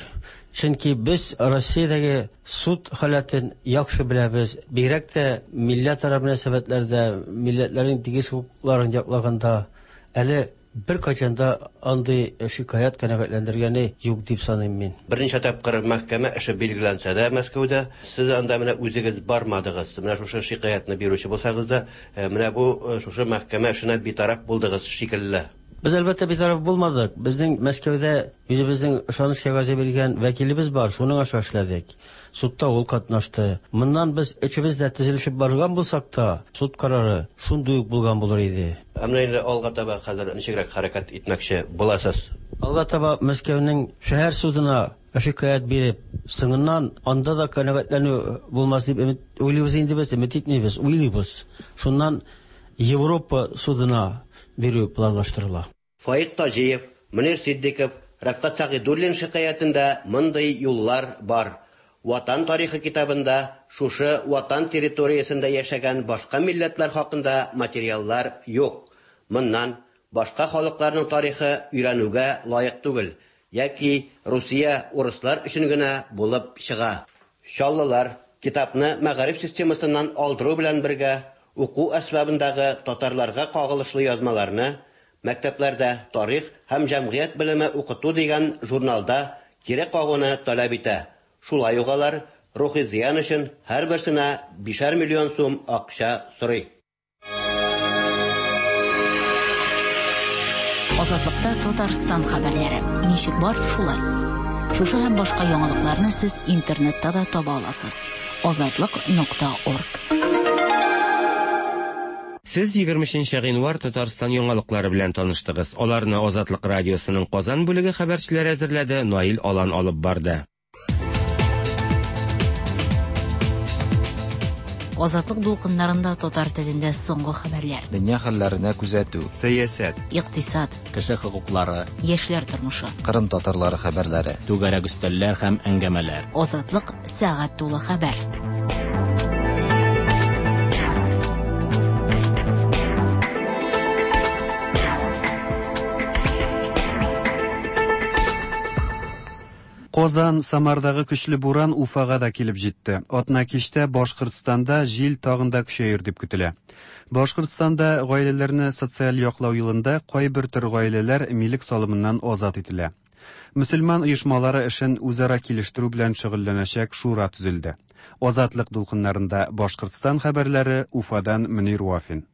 Чөнки без Россиядәге суд халәтен яхшы беләбез. Бигрәк тә милләтара мөнәсәбәтләрдә, милләтләрнең тигез хокукларын яклаганда әле бер кайчан да андый шикаять канәгатьләндергәне юк дип саныйм мин. Берничә тапкыр мәхкәмә эше билгеләнсә дә Мәскәүдә, сез анда менә үзегез бармадыгыз. Менә шушы шикаятьне бирүче булсагыз да, менә бу шушы мәхкәмә эшенә битараф булдыгыз шикелле. Без әлбәттә битараф булмадык. Безнең Мәскәүдә үзебезнең ышаныч кәгазе биргән вәкилебез бар, шуның аша эшләдек. Судта ул катнашты. Моннан без өчебез дә төзелешеп барган булсак та, суд карары шундый ук булган булыр иде. Ә менә инде алга таба хәзер ничегрәк хәрәкәт итмәкче буласыз? Алга таба Мәскәүнең шәһәр судына шикаять биреп, соңыннан анда да канәгатьләнү булмас дип өмет уйлыйбыз инде без, өмет итмибез, уйлыйбыз. Шуннан Европа судына бирү планлаштырыла. Фаик Таҗиев, Мөнир Сиддиков, Рәфкать Сәгыйдуллин шикаятендә мондый юллар бар. Ватан тарихы китабында шушы ватан территориясендә яшәгән башка милләтләр хакында материаллар юк. Моннан башка халыкларның тарихы өйрәнүгә лаек түгел, яки Русия урыслар өчен генә булып чыга. Чаллылар китапны мәгариф системасыннан алдыру белән бергә уку әсбабындагы татарларга кагылышлы язмаларны мәктәпләрдә тарих һәм җәмгыять белеме укыту дигән журналда кире кагуны таләп итә. Шулай ук алар рухи зыян өчен һәрберсенә бишәр миллион сум акча сорый. Азатлыкта Татарстан хәбәрләре. Ничек бар, шулай. Шушы һәм башка яңалыкларны сез интернетта да таба аласыз. Азатлык нокта орг. Сез егерме өченче гыйнвар Татарстан яңалыклары белән таныштыгыз. Аларны Азатлык радиосының Казан бүлеге хәбәрчеләре әзерләде, Наил Алан алып барды. Азатлык дулкыннарында татар телендә соңгы хәбәрләр. Дөнья хәлләренә күзәтү, сәясәт, икътисад, кеше хокуклары, яшьләр тормышы, Кырым татарлары хәбәрләре, түгәрәк өстәлләр һәм әңгәмәләр. Азатлык сәгать тулы хәбәр. Казан, Самардагы көчле буран Уфага да килеп җитте. Атна кичтә Башкортстанда җил тагын да көчәер дип көтелә. Башкортстанда гаиләләрне социаль яклау елында кайбер төр гаиләләр милек салымыннан азат ителә. Мөселман оешмалары эшен үзара килештерү белән шөгыльләнәчәк шура төзелде. Азатлык дулкыннарында Башкортстан хәбәрләре, Уфадан Мөнир Вафин.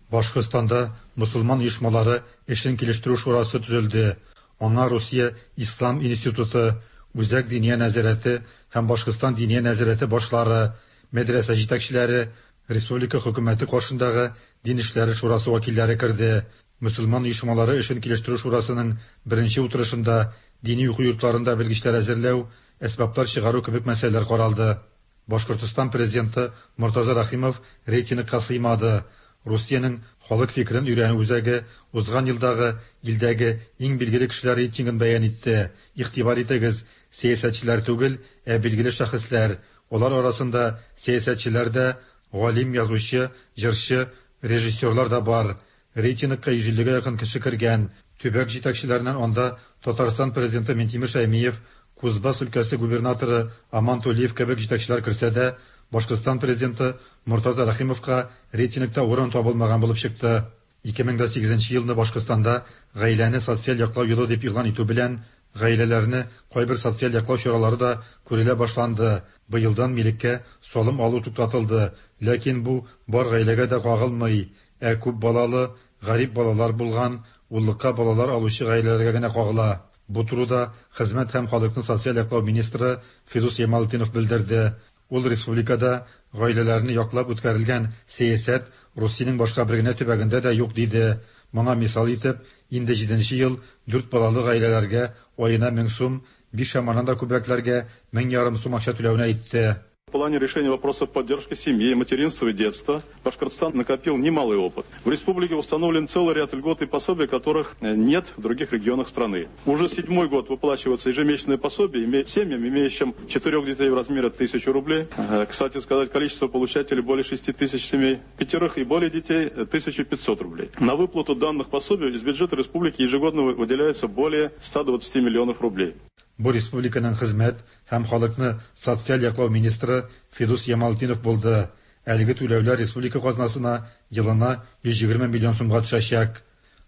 Башкортстанда мөселман оешмалары эшен килештерү шурасы төзелде. Аңа Русия Ислам институты, Үзәк Диния нәзарәте һәм Башкортстан Диния нәзарәте башлары, мәдрәсә җитәкчеләре, республика хөкүмәте каршындагы дин эшләре шурасы вәкилләре керде. Мөселман оешмалары эшен килештерү шурасының беренче утырышында дини уку йортларында белгечләр әзерләү, әсбаплар чыгару кебек мәсьәләләр каралды. Башкортстан президенты Мортаза Рахимов рейтингка сыймады. Русиянең халык фикерен өйрәнү үзәге узган елдагы илдәге иң билгеле кешеләр рейтингын бәян итте. Игътибар итегез, сәясәтчеләр түгел, ә билгеле шәхесләр. Алар арасында сәясәтчеләр дә, галим, язучы, җырчы, режиссерлар да бар. Рейтингка йөз иллегә якын кеше кергән. Төбәк җитәкчеләреннән анда Татарстан президенты Минтимер Шәймиев, Кузбасс өлкәсе губернаторы Аман Тулиев кебек җитәкчеләр керсә дә, Башкортстан президенты Мортаза Рахимовка рейтингта урын табылмаган булып чыкты. ике мең сигезенче елны Башкортстанда гаиләне социаль яклау елы дип игълан итү белән гаиләләрне кайбер социаль яклау чаралары да күрелә башланды. Быелдан милеккә салым алу туктатылды, ләкин бу бар гаиләгә дә кагылмый, ә күп балалы, гарип балалар булган, уллыкка балалар алучы гаиләләргә генә кагыла. Бу турыда Хезмәт һәм халыкны социаль яклау министры Фидус Ямалтдинов белдерде. Ул республикада гаиләләрне яклап үткәрелгән сәясәт Русиянең башка бер генә төбәгендә дә юк диде. Моңа мисал итеп, инде җиденче ел дүрт балалы гаиләләргә аена мең сум, биш һәм аннан да күбрәкләргә мең ярым сум акча түләүне әйтте. В плане решения вопросов поддержки семьи, материнства и детства Башкортостан накопил немалый опыт. В республике установлен целый ряд льгот и пособий, которых нет в других регионах страны. Уже седьмой год выплачивается ежемесячное пособие семьям, имеющим четырех детей в размере тысячи рублей. Кстати сказать, количество получателей более шести тысяч семей, пятерых и более детей тысяча пятьсот рублей. На выплату данных пособий из бюджета республики ежегодно выделяется более ста двадцати миллионов рублей. Бу республиканың хезмәт һәм халыкны социаль яклау министры Фидус Ямалтдинов булды. Әлеге түләүләр республика казнасына елына йөз егерме миллион сумга төшәчәк.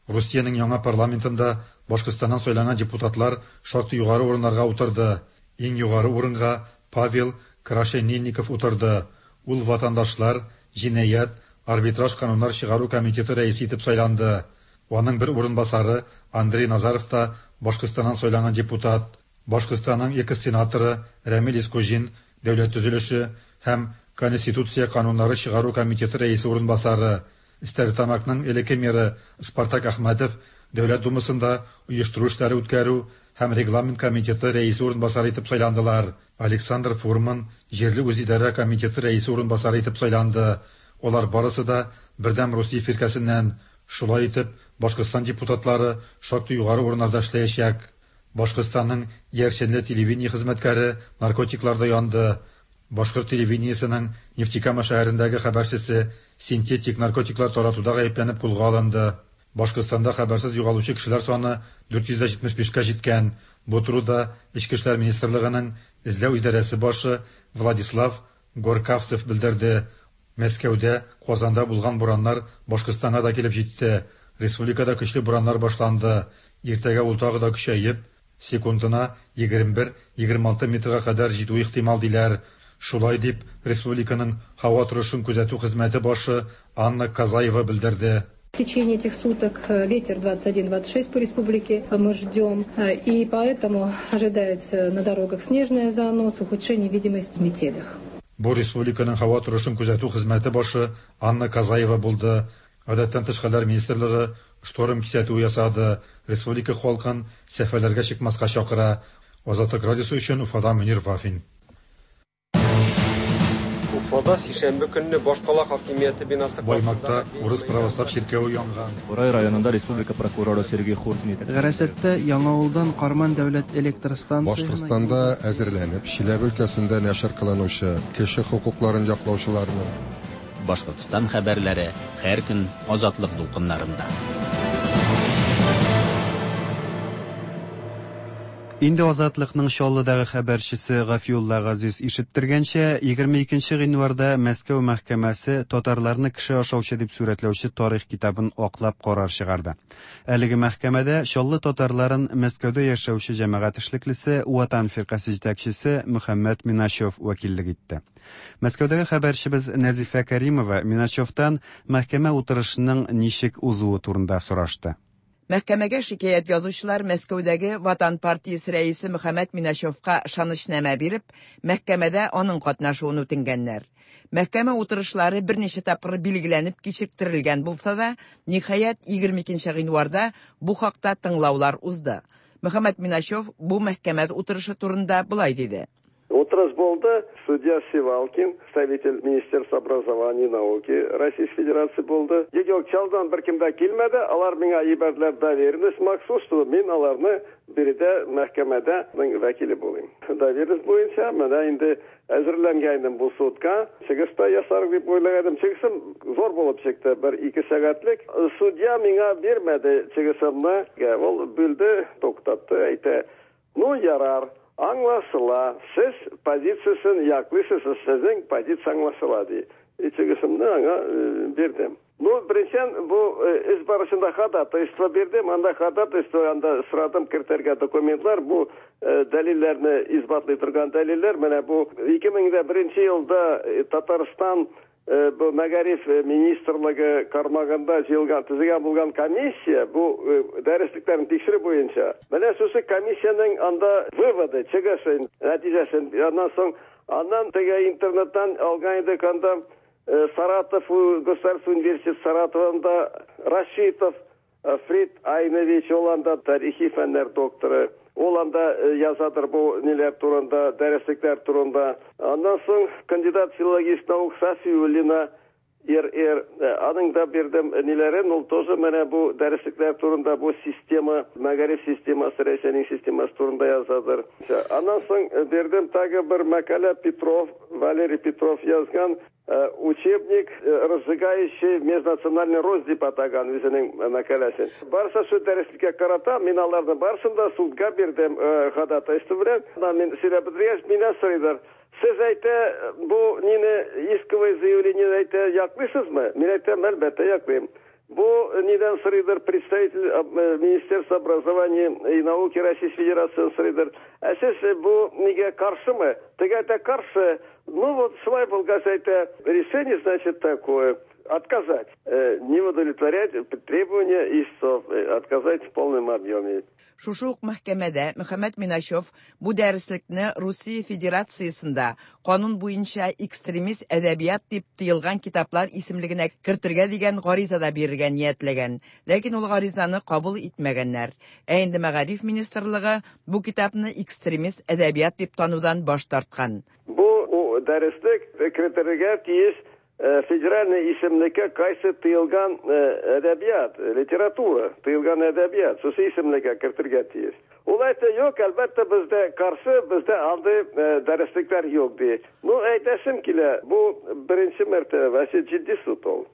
Русиянең яңа парламентында Башкортстаннан сайланган депутатлар шактый югары урыннарга утырды. Иң югары урынга Павел Крашенинников утырды. Ул ватандашлар, җинаять, арбитраж кануннар чыгару комитеты рәисе итеп сайланды. Аның бер урынбасары Андрей Назаров та Башкортстаннан сайланган депутат. Башкортстанның экс-сенаторы Рәмил Искуҗин дәүләт төзелеше һәм Конституция кануннары чыгару комитеты рәисе урынбасары, Стәрлетамакның элекке мэры Спартак Әхмәтов Дәүләт Думасында оештыру эшләре үткәрү һәм регламент комитеты рәисе урынбасары итеп сайландылар. Александр Фурман җирле үзидарә комитеты рәисе урынбасары итеп сайланды. Алар барысы да Бердәм Русия фиркәсеннән. Шулай итеп, Башкортстан депутатлары шактый югары урыннарда эшләячәк. Башкортстанның яршенле телевидение хезмәткәре наркотикларда янды. Башкорт телевидениесенең Нефтекама шәһәрендәге хәбәрчесе синтетик наркотиклар таратуда гаепләнеп кулга алынды. Башкортстанда хәбәрсез югалучы кешеләр саны дүрт йөз җитмеш бишкә җиткән. Бу турыда Эчке эшләр министрлыгының эзләү идарәсе башы Владислав Горкавцев белдерде. Мәскәүдә, Казанда булган бураннар Башкортстанга да килеп җитте. Республикада көчле бураннар башланды. Иртәгә ул тагы да көчәеп, секундына егерме бер - егерме алты метрга кадәр җитү ихтимал диләр. Шулай дип, республиканың һава торышын күзәтү хезмәте башы Анна Казаева белдерде. В течение этих суток ветер двадцать один - двадцать шесть по республике мы ждем, и поэтому ожидается на дорогах снежная занос, ухудшение видимости в метелях. Бу республиканың һава торышын күзәтү хезмәте башы Анна Казаева булды. Гадәттән тыш хәлләр министрлыгы шторм кисәтүе ясады. Республика халкын сәфәрләргә чыкмаска чакыра. Азатлык радиосы өчен Уфадан Мөнир Вафин. Уфада сишәмбе көнне башкала хакимияте бинасы Баймакта урыс православ чиркәве янган. Бурай районында республика прокуроры Сергей Хуртин. Гарасәттә Яңавылдан Карман дәүләт электр станциясенә Башкортстанда әзерләнеп, Чиләбе өлкәсендә нәшер кылынучы кеше хокукларын яклаучыларны Башкортстан хәбәрләре һәр көн Азатлык дулкыннарында. Инде Азатлыкның Чаллыдагы хәбәрчесе Гафиулла Газиз ишеттергәнчә, егерме икенче гыйнварда Мәскәү мәхкәмәсе татарларны кеше ашаучы дип сурәтләүче тарих китабын аклап карар чыгарды. Әлеге мәхкәмәдә Чаллы татарларын Мәскәүдә яшәүче җәмәгать эшлеклесе Ватан фиркасе җитәкчесе Мөхәммәт Миначев вәкиллек итте. Мәскәүдәге хәбәрчебез Нәзифә Каримова Миначевтан мәхкәмә утырышының ничек узуы турында сорашты. Мәхкәмәгә шикаять язучылар Мәскәүдәге Ватан партиясе рәисе Мөхәммәт Миначевка ышанычнамә биреп, мәхкәмәдә аның катнашуын үтенгәннәр. Мәхкәмә утырышлары берничә тапкыр билгеләнеп кичектерелгән булса да, ниһаять егерме икенче гыйнварда бу хакта тыңлаулар узды. Мөхәммәт Миначев бу мәхкәмә утырышы турында болай диде. Утырыш булды. Судья Сивалкин, представитель Министерства образования и науки Российской Федерации булды. Юк, Чаллыдан бер кем дә килмәде. Алар миңа ибәрделәр доверенность махсус, что мин аларны биредә мәхкәмәдә вәкиле булыйм. Доверенность буенча менә инде әзерләнгән идем бу судка. Чыгыш та ясар дип уйлаган идем. Чыгышым зур булып чыкты, бер ике сәгатьлек. Судья миңа бирмәде чыгышымны. Ул бүлде, туктатты, әйтә: "Ну, ярар. Аңлашыла, сез позициясын яклыйсыз, сезнең позиция аңлашыла", ди. Чыгышымны аңа бирдем. Ну, беренчедән, бу эш барышында ходатайство бирдем. Анда ходатайство, анда сорадым кертергә документлар, бу дәлилләрне исбатлый торган дәлилләр. Менә бу ике мең дә беренче елда Татарстан бу мәгариф министрлыгы кармагында җыелган, төзегән булган комиссия бу дәреслекләрне тикшерү буенча. Менә шушы комиссиянең анда выводы, чыгышы, нәтиҗәсен. Аннан соң аннан теге интернеттан алган идек анда Саратов государственный университет Саратовында Рашитов Фрид Айнович, ул анда тарихи фәннәр докторы. Ул анда язадыр бу ниләр турында, дәреслекләр турында. Аннан соң кандидат филологических наук Сафиуллина Р Р, аның да бирдем ниләрен, ул тоже менә бу дәреслекләр турында, бу система, мәгариф системасы, Рәсәйнең системасы турында язадыр. Аннан соң бирдем тагы бер мәкалә Петров, Валерий Петров язган учебник, разжигающий межнациональный рост дип атаган үзенең мәкаләсен. Барса шу дәреслеккә карата, мин аларны барсын да судка бирдем ходатайство белән. Мин сөйләп бетергәч, миннән сорыйлар: "Сез әйтә, бу нине исковое заявление әйтә яклыйсызмы?" Мин әйтәм: "Әлбәттә яклыйм." Бу нидән сорыйдыр представитель Министерства образования и науки Российской Федерации сорыйдыр: "Ә сез бу нигә каршымы?" Теге әйтә: "Каршы". Ну вот шулай булгач әйтә, решение значит такое: отказать, не удовлетворять требования истцов, отказать в полном объеме. Шушы ук мәхкәмәдә Мөхәммәт Миначев бу дәреслекне Русия Федерациясендә канун буенча экстремист әдәбият дип тыелган китаплар исемлегенә кертергә дигән гариза да бирергә ниятләгән. Ләкин ул гаризаны кабул итмәгәннәр. Ә инде Мәгариф министрлыгы бу китапны экстремист әдәбият дип танудан баш тарткан. Бу дәреслек кертергә тиеш федеральный исемлеккә кайсы тыелган әдәбият, литература, тыелган әдәбият, шушы исемлеккә кертергә тиеш. Ул әйтә: "Юк, әлбәттә бездә каршы, бездә андый дәреслекләр юк", ди. Ну, әйтәсем килә, бу беренче мәртәбә, вообще җитди суд ул.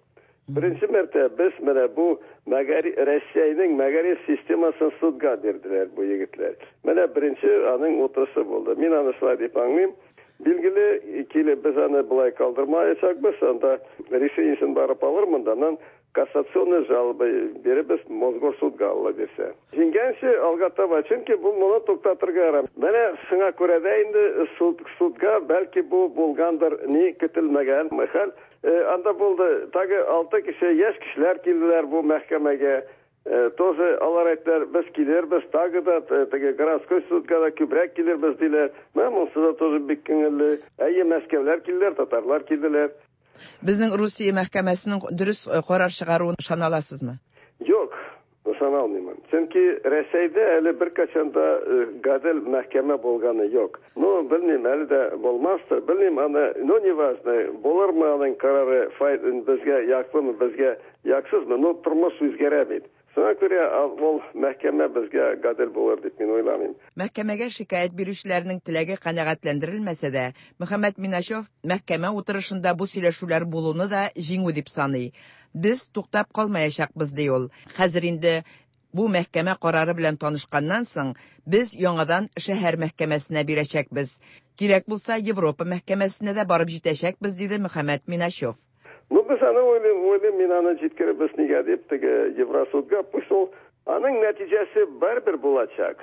Беренче мәртәбә без менә бу мәгариф Россиянең мәгариф системасын судка бирделәр бу егетләр. Менә беренче аның утырышы булды. Мин аны шулай дип аңлыйм. Билгеле, килеп без аны болай калдырмаячакбыз, анда решениесен барып алырмын да, аннан кассационный жалоба биребез Мосгорсудга алла бирсә. Җиңгәнче алга таба, чөнки бу моны туктатырга ярам. Менә шуңа күрә дә инде суд, судка бәлки бу булгандыр, ни көтелмәгән хәл. Анда булды, тагы алты кеше, яшь кешеләр килделәр бу мәхкәмәгә. Тоже алар әйттеләр, без килербез, тагы да теге городской судка да күбрәк килербез диләр. Менә монысы да тоже бик күңелле. Әйе, Мәскәүләр килделәр, татарлар килделәр. Безнең Русия мәхкәмәсенең дөрес карар чыгаруын ышана аласызмы? Юк, ышана алмыйм. Чөнки Рәсәйдә әле беркайчан да гадел мәхкәмә булганы юк. Ну, белмим, әле дә булмастыр, белмим, аны, ну, не важно, булырмы аның карары безгә яклымы, безгә яксызмы, но тормыш үзгәрә бит. Шуңа күрә ул мәхкәмә безгә гадел булыр дип мин уйламыйм. Мәхкәмәгә шикаять бирүчеләрнең теләге канәгатьләндерелмәсә дә, Мөхәммәт Миначев мәхкәмә утырышында бу сөйләшүләр булуны да җиңү дип саный. Без туктап калмаячакбыз, ди ул. Хәзер инде бу мәхкәмә карары белән танышканнан соң, без яңадан шәһәр мәхкәмәсенә бирәчәкбез. Кирәк булса, Европа мәхкәмәсенә дә барып җитәчәкбез, диде Мөхәммәт Миначев. Ну, без аны уйлыйм, уйлыйм, мин аны җиткеребез нигә дип, теге Евросудга, пусть ул аның нәтиҗәсе барыбер булачак.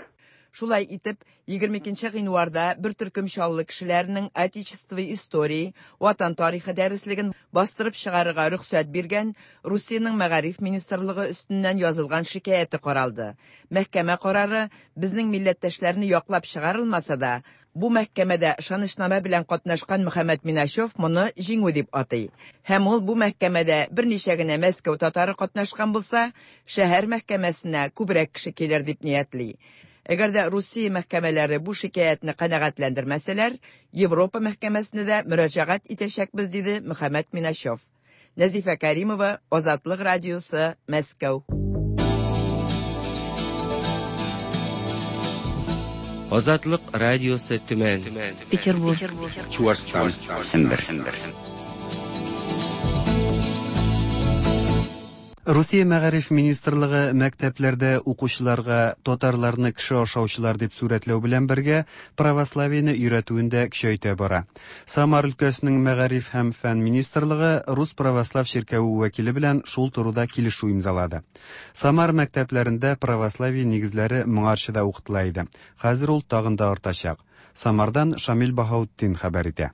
Шулай итеп, егерме икенче гыйнварда бер төркем Чаллы кешеләренең Отечество истории, Ватан тарихы дәреслеген бастырып чыгарырга рөхсәт биргән Русиянең мәгариф министрлыгы өстеннән язылган шикаяте каралды. Мәхкәмә карары безнең милләттәшләрне яклап чыгарылмаса да, бу мәхкәмәдә ышанычнамә белән катнашкан Мөхәммәт Миначев моны җиңү дип атый. Һәм ул бу мәхкәмәдә берничә генә Мәскәү татары катнашкан булса, шәһәр мәхкәмәсенә күбрәк кеше килер дип ниятли. Әгәр дә Русия мәхкәмәләре бу шикаятьне канәгатьләндермәсәләр, Европа мәхкәмәсенә дә мөрәҗәгать итәчәкбез, диде Мөхәммәт Миначев. Нәзифә Каримова, Азатлык радиосы, Мәскәү. Азатлык радиосы, Төмән, Петербург, Чуашстан, Сембер. Русия мәгариф министрлыгы мәктәпләрдә укучыларга татарларны кеше ашаучылар дип сурәтләү белән бергә православиене өйрәтүен дә көчәйтә бара. Самар өлкәсенең мәгариф һәм фән министрлыгы Рус православ чиркәве вәкиле белән шул турыда килешү имзалады. Самар мәктәпләрендә православие нигезләре моңарчы да укытыла иде. Хәзер ул тагын да артачак. Самардан Шамил Баһаутдин хәбәр итә.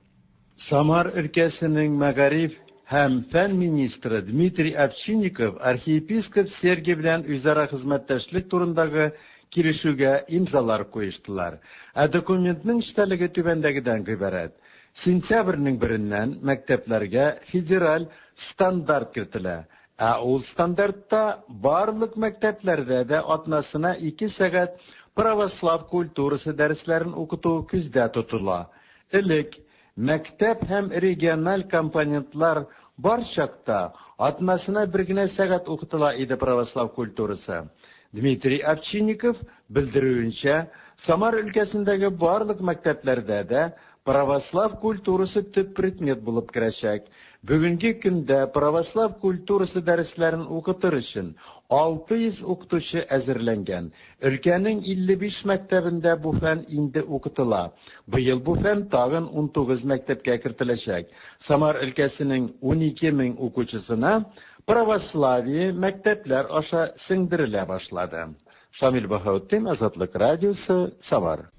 Самар өлкәсенең мәгариф һәм фән министры Дмитрий Овчинников архиепископ Сергий белән үзара хезмәттәшлек турындагы килешүгә имзалар куештылар. Ә документның эчтәлеге түбәндәгедән гыйбарәт. Сентябрьнең береннән мәктәпләргә федераль стандарт кертелә. Ә ул стандартта барлык мәктәпләрдә дә атнасына ике сәгать православ культурасы дәресләрен укыту күздә тотыла. Элек мәктәп һәм региональ компонентлар бар чакта атнасына бер генә сәгать укытыла иде православ культурасы. Дмитрий Овчинников белдерүенчә, Самар өлкәсендәге барлык мәктәпләрдә дә православ культурасы төп предмет булып керәчәк. Бүгенге көндә православ культурасы дәресләрен укытыр өчен алты йөз укытучы әзерләнгән. Өлкәнең илле биш мәктәбендә бу фән инде укытыла. Быел бу фән тагын унтугыз мәктәпкә кертеләчәк. Самар өлкәсенең унике мең укучысына православие мәктәпләр аша сеңдерелә башлады. Шамил Баһаутдин, Азатлык радиосы, Самар.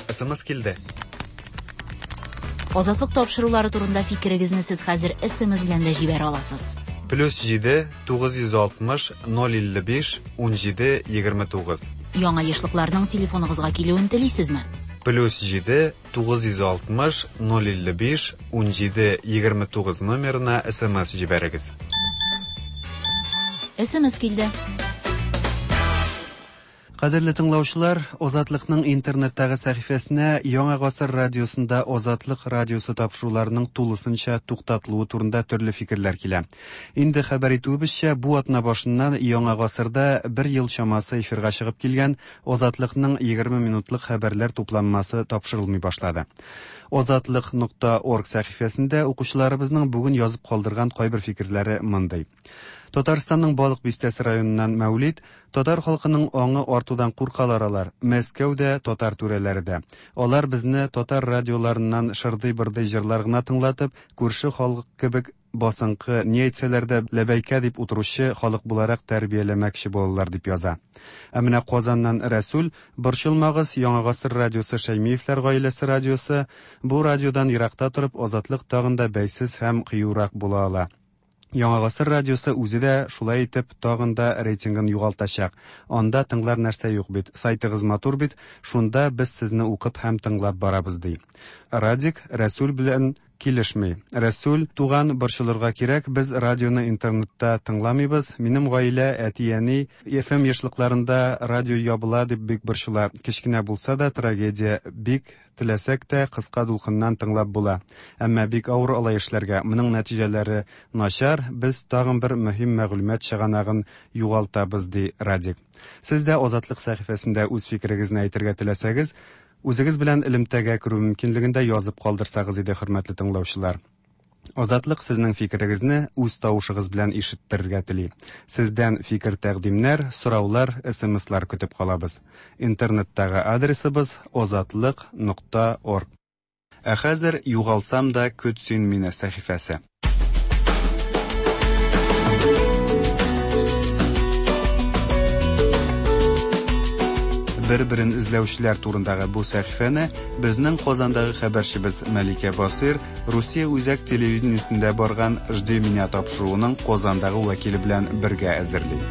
СМС килде. Азатлык тапшырулары турында фикерегезне сез хәзер СМС белән дә җибәрә аласыз. Плюс җиде, тугыз йөз алтмыш, ноль илле биш, ун җиде, егерме тугыз. Яңа ешлыкларның телефоныгызга килүен телисезме? Плюс җиде, тугыз йөз алтмыш, ноль илле биш, ун җиде, егерме тугыз номерына СМС җибәрегез. СМС килде. Кадерле тыңлаучылар, Азатлыкның интернеттагы сәхифәсенә Яңа гасыр радиосында Азатлык радиосы тапшыруларының тулысынча туктатылуы турында төрле фикерләр килә. Инде хәбәр итүебезчә, бу атна башыннан Яңа гасырда бер ел чамасы эфирга чыгып килгән Азатлыкның егерме минутлык хәбәрләр тупланмасы тапшырылмый башлады. Азатлык нокта орг сәхифәсендә укучыларыбызның бүген язып калдырган кайбер фикерләре мондый. Татарстанның Балык Бистәсе районыннан Мәүлид, татар халкының аңы артудан куркалар алар, Мәскәүдә татар түрәләре дә. Алар безне татар радиоларыннан шырдый-бырдый җырлар гына тыңлатып, күрше халык кебек басынкы, ни әйтсәләр дә ләбәйкә дип утыручы халык буларак тәрбияләмәкче булалар дип яза. Ә менә Казаннан Рәсүл, борчылмагыз, Яңа гасыр радиосы Шәймиевләр гаиләсе радиосы, бу радиодан еракта торып Азатлык тагын да бәйсез һәм кыюрак була ала. Яңа гасыр радиосы үзе дә шулай итеп тагын да рейтингын югалтачак. Анда тыңлар нәрсә юк бит, сайтыгыз матур бит, шунда без сезне укып һәм тыңлап барабыз ди. Радик Рәсүл белән килешми. Рәсүл, туган, борчылырга кирәк, без радионы интернетта тыңламыйбыз. Минем гаилә, әти-әни эф эм ешлыкларында радио ябыла дип бик борчыла. Кечкенә булса да трагедия, бик теләсәк тә кыска дулкыннан тыңлап була. Әмма бик авыр алай эшләргә. Моның нәтиҗәләре начар, без тагын бер мөһим мәгълүмат чыганагын югалтабыз, ди Радик. Сез дә Азатлык сәхифәсендә үз фикерегезне әйтергә теләсәгез, үзегез белән элемтәгә керү мөмкинлеген дә язып калдырсагыз иде, хөрмәтле тыңлаучылар. Азатлык сезнең фикерегезне үз тавышыгыз белән ишеттерергә тели. Сездән фикер тәкъдимнәр, сораулар, эс эм эслар көтеп калабыз. Интернеттагы адресыбыз азатлык нокта орг. Ә хәзер югалсам да көт син мине сәхифәсе. Бер-берен эзләүчеләр турындагы бу сәхифәне безнең Казандагы хәбәрчебез Мәликә Басыйр Русия үзәк телевидениесендә барган Жди меня тапшыруының Казандагы вәкиле белән бергә әзерли.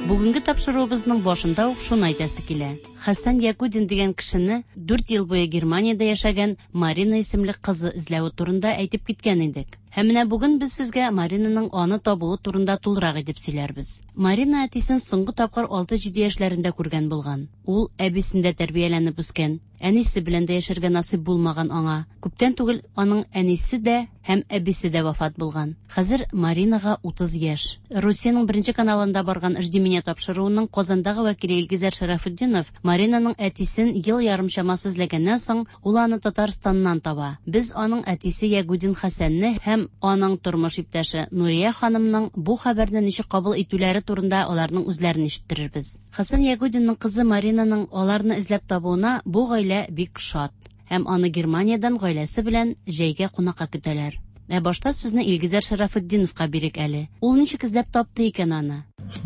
Бүгенге тапшыруыбызның башында ук шуны әйтәсе килә. Хәсән Ягудин дигән кешене дүрт ел буе Германиядә яшәгән Марина исемле кызы эзләве турында әйтеп киткән идек. Һәм менә бүген без сезгә Маринаның аны табуы турында тулырак итеп сөйләрбез. Марина әтисен соңгы тапкыр алты-җиде яшьләрендә күргән булган. Ул әбисендә тәрбияләнеп үскән. Әнисе белән дә яшәргә насыйп булмаган аңа. Күптән түгел аның әнисе дә һәм әбисе дә вафат булган. Хәзер Маринага утыз яшь. Русиянең беренче каналында барган Жди меня тапшыруының Казандагы вәкиле Илгизәр Шарафутдинов Маринаның әтисен ел ярым чамасы эзләгәннән соң ул аны Татарстаннан таба. Без аның әтисе Ягудин Хәсәнне һәм аның тормыш иптәше Нурия ханымның бу хәбәрне ничек кабул итүләре турында аларның үзләрен ишеттерербез. Хәсән Ягудинның кызы Маринаның аларны эзләп табуына бу гаилә бик шат. Һәм аны Германиядән гаиләсе белән җәйгә кунакка көтәләр. Ә башта сүзне Илгизәр Шарафутдиновка бирик әле. Ул ничек эзләп тапты икән аны?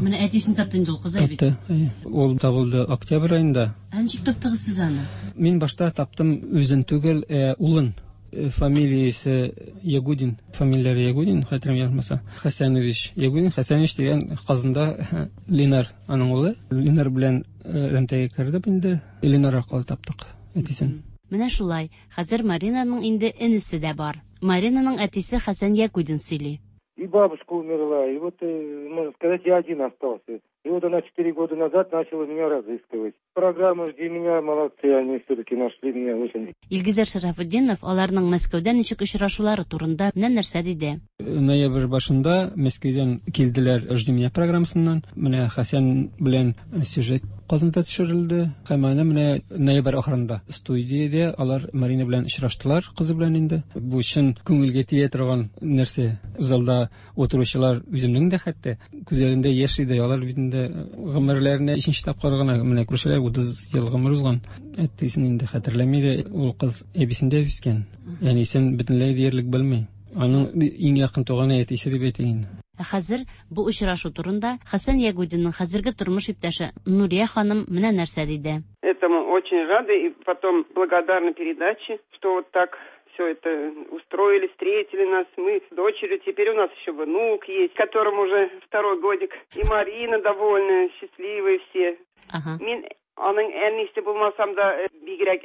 Менә әтисен тапты инде ул кыз бит. Тапты, әйе. Ул табылды октябрь аенда. Ә ничек таптыгыз сез аны? Мин башта таптым үзен түгел, ә, улын. Фамилиясе Ягудин, фамилияре Ягудин, хәтерем ялгышмаса. Хәсәнович Ягудин, Хәсәнович дигән Казанда Ленар аның улы. Ленар белән элемтәгә кердек инде. Ленар аркылы таптык әтисен. Менә шулай, хәзер Маринаның инде энесе дә бар. Маринаның әтисе Хәсән Ягудин сөйли. И бабушка умерла, и вот, можно сказать, я один остался. И вот она четыре года назад начала меня разыскивать. Программа «Жди меня», молодцы, они все-таки нашли меня очень. Илгизәр Шарафутдинов аларның Мәскәүдә ничек очрашулары турында менә нәрсә диде. Ноябрь башында Мәскәүдән килделәр «Жди меня» программасыннан. Менә Хәсән белән сюжет Казанда төшерелде. Һәм аны менә ноябрь ахырында студиядә алар Марина белән очраштылар, кызы белән инде. Бу чын күңелгә тия торган нәрсә. Залда утыручылар үземнең дә хәтта күзләрендә яшь иде. Алар бит инде гомерләренә өченче тапкыр гына менә күршеләр утыз ел гомер узган. Әтисен инде хәтерләми дә, ул кыз әбисендә үскән. Әнисен бөтенләй диярлек белми. Аның иң якын туганы әтисе дип әйтә инде. Ә хәзер бу очрашу турында Хәсән Ягудинның хәзерге тормыш иптәше Нурия ханым менә нәрсә диде. Этому очень рады и потом благодарны передаче, что вот так все это устроили, встретили нас, мы с дочерью, теперь у нас еще внук есть, которому уже второй годик. И Марина довольная, счастливые все. Ага. Мин Аның әнисе булмасам да бигрәк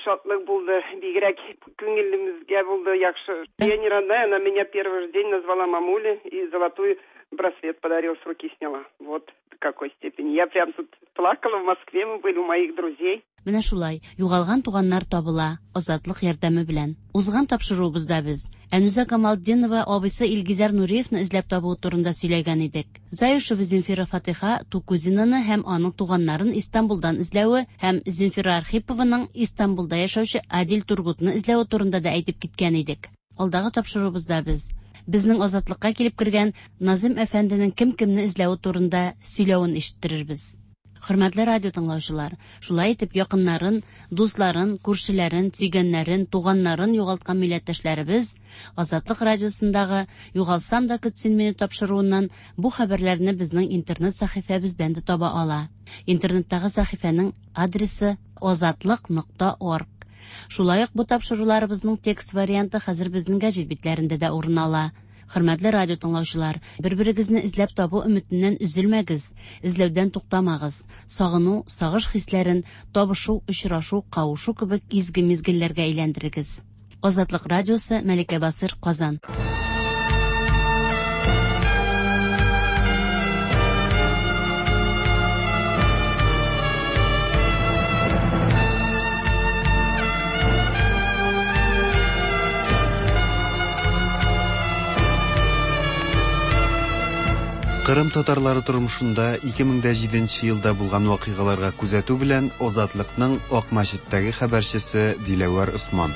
шатлык булды, бигрәк күңелебезгә булды яхшы. Я не родная, она меня первый же день назвала мамулей и золотую браслет подарила, с руки сняла. Вот до какой степени. Я прям тут плакала, в Москве мы были у моих друзей. Менә шулай, югалган туганнар табыла, Азатлык ярдәме белән. Узган тапшыруыбызда без Әнүзә Камалтдинова абыйсы Илгизәр Нуриевны эзләп табуы турында сөйләгән идек. Заюшева Земфира Фатиха Тукузинаны һәм аның туганнарын Истанбулдан эзләве һәм Земфира Архипованың Истанбулда яшәүче Адил Тургутны эзләве турында да әйтеп киткән идек. Алдагы тапшыруыбызда без безнең Азатлыкка килеп кергән Назым әфәнденең кем-кемне эзләве турында сөйләвен ишеттерербез. Хөрмәтле радио тыңлаучылар, шулай итеп якыннарын, дусларын, күршеләрен, сөйгәннәрен, туганнарын югалткан милләттәшләребез Азатлык радиосындагы Югалсам да көтсен мине тапшыруыннан бу хәбәрләрне безнең интернет сәхифәбездән дә таба ала. Интернеттагы сәхифәнең адресы азатлык нокта орг. Шулай ук бу тапшыруларыбызның текст варианты хәзер безнең гәҗит битләрендә дә урын ала. Хөрмәтле радио тыңлаучылар, бер-берегезне эзләп табу өметеннән өзелмәгез, эзләүдән туктамагыз. Сагыну, сагыш хисләрен табышу, очрашу, кавышу кебек изге мизгелләргә әйләндерегез. Азатлык радиосы, Мәликә Басыр, Казан. Кырым татарлары тормышында ике мең дә җиденче елда булган вакыйгаларга күзәтү белән Азатлыкның Акмәчеттәге хәбәрчесе Диләвәр Усман.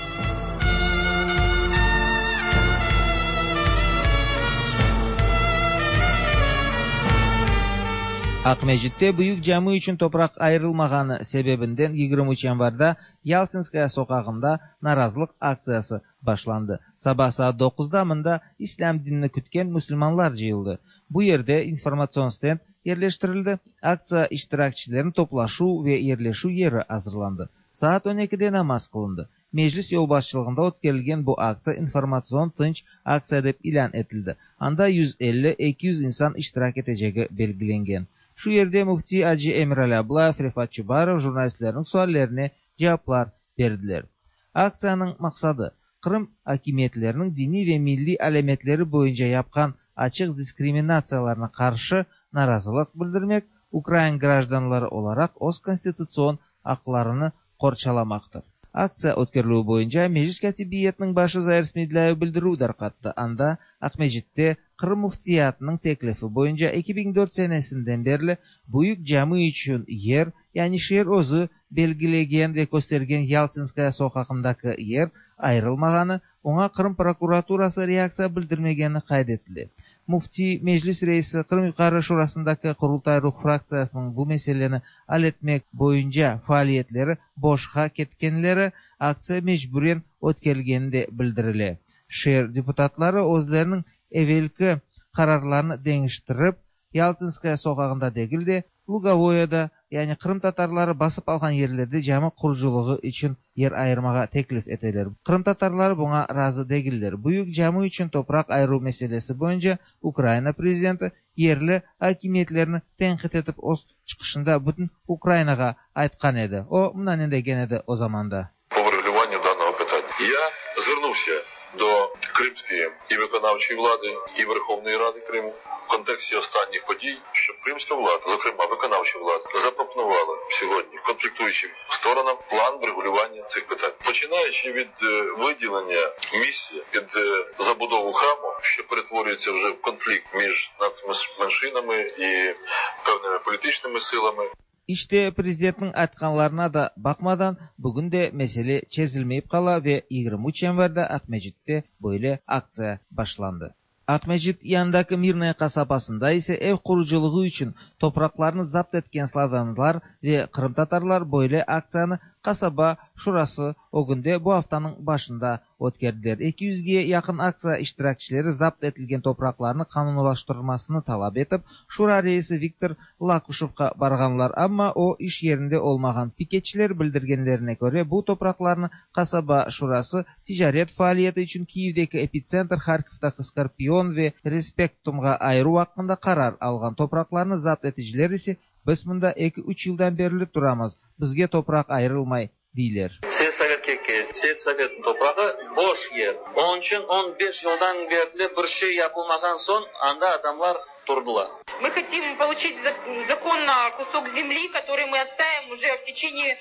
Акмәчеттә büyük cami üçün toprak ayrılmağanı sebebinden yigirmi üç yanvarda Yaltinskaya sokağında narazılık aktsiyası başlandı. Sabah saat dokuzda mında İslam dinini kütken Müslümanlar cıyıldı. Bu yerde informasyon stend yerleştirildi. Aktsiya iştirakçilerin toplaşu ve yerleşu yeri hazırlandı. Saat on ikide namaz kılındı. Meclis yolbaşçılığında ötkerilgen bu aktsiya informasyon tınç aktsiya dep ilan etildi. Anda yüz elli iki yüz insan iştirak eteceği belgilengen. Şu yerde Müfti Hacı Emirali Ablayev, Refat Çubarov jurnalistlerin suallerine cevaplar verdiler. Aktsiyanın maksadı Kırım hakimiyetlerinin dini ve milli alametleri boyunca yapkan açık diskriminatsiyalarına karşı narazılık bildirmek, Ukrayna grajdanları olarak öz konstitusiyon haklarını qorçalamaktır. Aktsiya ötkeriliği boyunca Meclis Katibiyetinin başı Zair Smedlâyev bildirüv darqattı. Anda Akmecit'te Kırım Müftiyatının teklifi boyunca iki bin dört senesinden beri büyük cami için yer, yani şehir özü belgilegen ve göstergen Yaltinskaya sokağındaki yer ayrılmağanı, ona Kırım prokuraturası reaksiya bildirmegeni kaydetildi. Müfti Meclis Reisi Kırım Yukarı Şurasındaki Kurultay Ruh fraktsiyasının bu meseleni al etmek boyunca faaliyetleri boşqa ketkenleri aktsiya mecburen ötkerilgeni de bildirile. Şehir deputatları özlerinin evvelki kararlarını değiştirip Yaltinskaya sokağında değil de Lugovoya'da, yani Kırım Tatarları basıp algan yerlerde cami kuruculuğu için yer ayırmağa teklif eteler. Kırım Tatarları buna razı değiller. Büyük cami için toprak ayırу meselesi boyunca Ukrayna prezidenti yerli hakimiyetlerini tenkit etip öz çıkışında bütün Ukraynağa aytkan edi. O mına degen edi o zamanda. По врегулюванню даного питання. Я звернувся до Кримської і виконавчої влади, і Верховної Ради Криму в контексті останніх подій, щоб кримська влада, зокрема виконавча влада, запропонувала сьогодні конфліктуючим сторонам план врегулювання цих питань. Починаючи від виділення місця під забудову храму, що перетворюється вже в конфлікт між нацменшинами і певними політичними силами. İşte prezidentin aytkanlarına da bakmadan bugün de mesele çözülmeyip kala ve yigirmi üç yanvarda Akmecit'te böyle aktsiya başlandı. Akmecit yanındaki Mirnaya kasabasında ise ev kuruculuğu için topraklarını zapt etken Slavyanlar ve Kırım Tatarlar böyle aktsiyanı kasaba şurası o günde bu haftanın başında ötkerdiler. iki yüzge yakın aktsiya iştirakçileri zapt etilgen topraklarını kanunulaştırmasını talap etip şura reisi Viktor Lakuşev'a barganlar, ama o iş yerinde olmagan piketçiler bildirgenlerine göre bu topraklarını kasaba şurası ticaret faaliyeti için Kiev'deki epicentr Harkov'daki Skorpion ve Respektum'a ayırу hakkında karar algan topraklarını zapt eticiler ise Biz mında eki-üç yıldan berli turamız, bizge topraq ayırılmay, deyler. Selsovetke kel, selsovetniñ toprağı boş yer. Onıñ içün on beş yıldan berli bir şey yapılmağan soñ anda adamlar turdılar. Мы хотим получить законно кусок земли, который мы отстаиваем уже в течение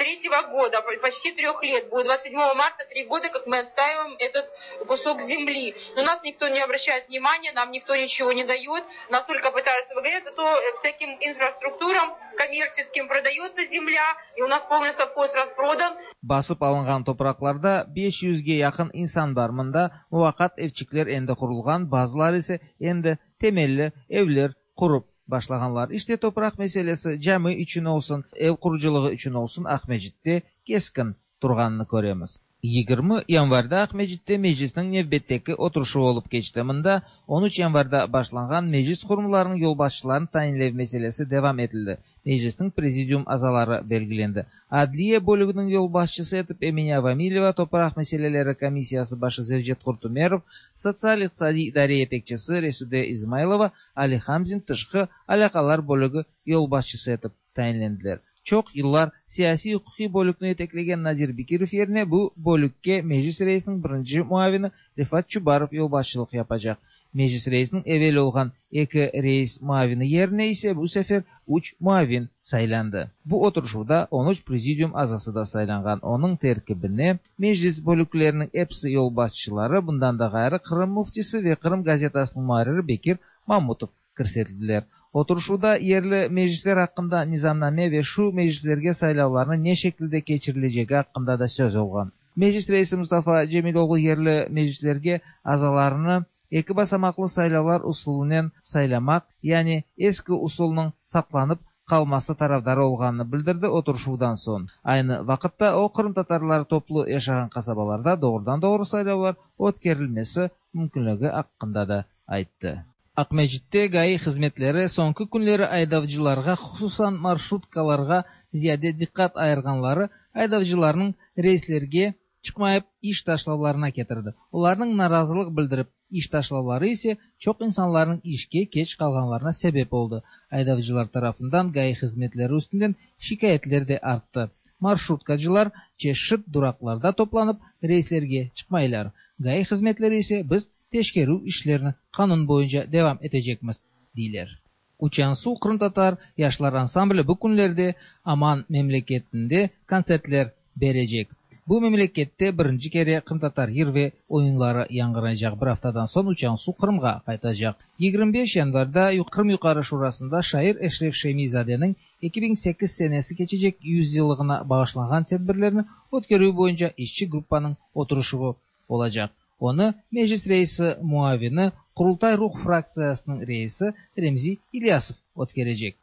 третьего года, почти трех лет. Будет двадцать седьмого марта три года, как мы отстаиваем этот кусок земли. Но нас никто не обращает внимания, нам никто ничего не дает, нас только пытаются выгонять, зато всяким инфраструктурам коммерческим продается земля, и у нас полный совхоз распродан. Basıp alınğan topraqlarda beş yüzge yaqın insan bar. Mında muvaqqat evçikler endi qurulğan, bazıları ise endi temelli evler qurup başlağanlar. İşte topraq meselesi cami içün olsun, ev qurucılığı içün olsun Aqmescitte keskin turğanını köremiz. Yigirmi yanvarda Aqmescitte meclisniñ nevbetteki oturışuvı olıp keçti. Mında on üç yanvarda başlanğan meclis qurumlarınıñ yolbaşçılarını tayinlev meselesi devam etildi. Meclisniñ prezidium azaları belgilendi. Adliye bölüginiñ yolbaşçısı etip Emine Avamileva, topraq meseleleri komissiyası başı Zevcet Qurtumerov, sotsial-iqtisadiy idare yetekçisi Resude İzmaylova, Ali Hamzin tışqı alâqalar bölügi yolbaşçısı etip tayinlendiler. Çoq yıllar siyasiy-uquqiy bölükni yeteklegen Nadir Bekirov yerine bu bölükke Meclis reisiniñ birinci muavini Refat Çubarov yolbaşçılıq yapacaq. Meclis reisiniñ evel olğan eki reis muavini yerine ise bu sefer üç muavin saylandı. Bu oturışuvda on üç prezidium azası da saylanğan. Onıñ terkibine meclis bölükleriniñ episi yolbaşçıları, bundan da ğayrı Qırım müftisi ve Qırım gazetasınıñ muarriri Bekir Mamutov kirsetildiler. Oturışuvda yerli meclisler aqqında nizamname ve şu meclislerge saylavlarnı ne şekilde keçirilecegi aqqında da söz olğan. Meclis reisi Mustafa Cemiloğlu yerli meclislerge azalarını eki basamaqlı saylavlar usulınen saylamaq, yani eski usulnıñ saqlanıp qalması tarafdarı olğanını bildirdi oturışuvdan soñ. Aynı vaqıtta o, qırımtatarlar toplu yaşağan qasabalarda doğrudan-doğru saylavlar ötkerilmesi mümkünligi aqqında da ayttı. Aqmescitte GAİ hızmetleri soñki künleri aydavcılarğa, hususan marşrutkalarğa ziyade diqqat ayırğanları aydavcılarnıñ reyslerge çıqmayıp iş taşlavlarına ketirdi. Olarnıñ narazılıq bildirip iş taşlavları ise çoq insanlarnıñ işke keç qalğanlarına sebep oldı. Aydavcılar tarafından GAİ hızmetleri üstünden şikâyetler de arttı. Marşrutkacılar çeşit duraqlarda toplanıp reyslerge çıqmaylar. GAİ hızmetleri ise biz teşkerüv işlerini qanun boyunca devam etecekmiz, deyler. Uçan Suv qırımtatar yaşlar ansambli bu künlerde Aman memleketinde kontsertler berecek. Bu memlekette birinci kere qırımtatar yır ve oyunları yañğıraycaq. Bir aftadan soñ Uçan Suv Qırımğa qaytacaq. Yigirmi beş yanvarda Qırım Yuqarı Şurasında şair Eşref Şemizadeniñ eki biñ sekiz senesi keçecek yüz yıllığına bağışlanğan tedbirlerni ötkerüv boyunca işçi gruppanıñ oturışuvı olacaq. Onı Meclis reisi muavini, Qurultay Ruh fraktsiyasınıñ reisi Remzi İlyasov ötkerecek.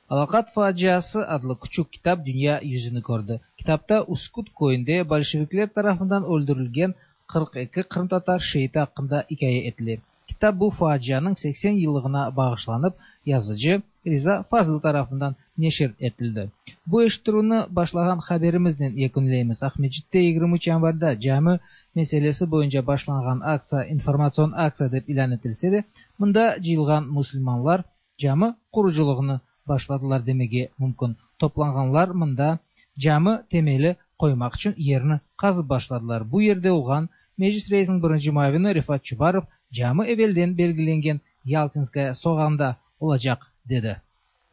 Alaqat faciası adlı küçük kitap dünya yüzüni kördi. Kitapta Üsküt köyünde bolşevikler tarafından öldürilgen qırq eki qırımtatar şeiti aqqında ikâye etile. Kitap bu facianıñ seksen yıllığına bağışlanıp, yazıcı Riza Fazıl tarafından neşir etildi. Bu eşittirüvni başlağan haberimiznen yekünleymiz. Aqmescitte yigirmi üç yanvarda cami meselesi boyunca başlanğan aktsiya informatsion aktsiya dep ilân etilse de, mında cıyılğan musulmanlar cami qurucılığını başladılar demege mümkün. Toplanğanlar mında cami temeli qoymaq içün yerni qazıp başladılar. Bu yerde olğan Meclis reisiniñ birinci muavini Refat Çubarov cami evelden belgilengen Yaltinskaya soqağında olacaq, dedi.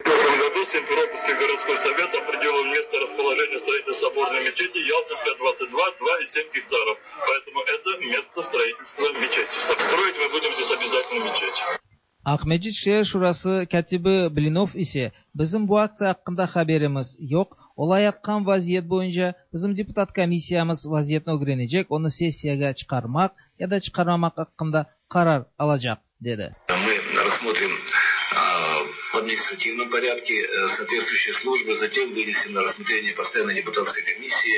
В прошлом году Симферопольский городской совет определил место расположения строительства соборной мечети Ялтинская, двадцать два, два и семь гектаров. Поэтому это место строительства мечети. Строить мы будем здесь обязательно мечеть. Aqmescit şeer şurası kâtibi Blinov ise bizim bu aktsiya aqqında haberimiz yoq, olayatqan vaziyet boyunca bizim deputat komissiyamız vaziyetni ögrenecek, onı sessiyağa çıqarmaq ya da çıqarmamaq aqqında qarar alacaq, dedi. Мы рассмотрим в административном порядке соответствующие службы, затем вынесем на рассмотрение постоянной депутатской комиссии,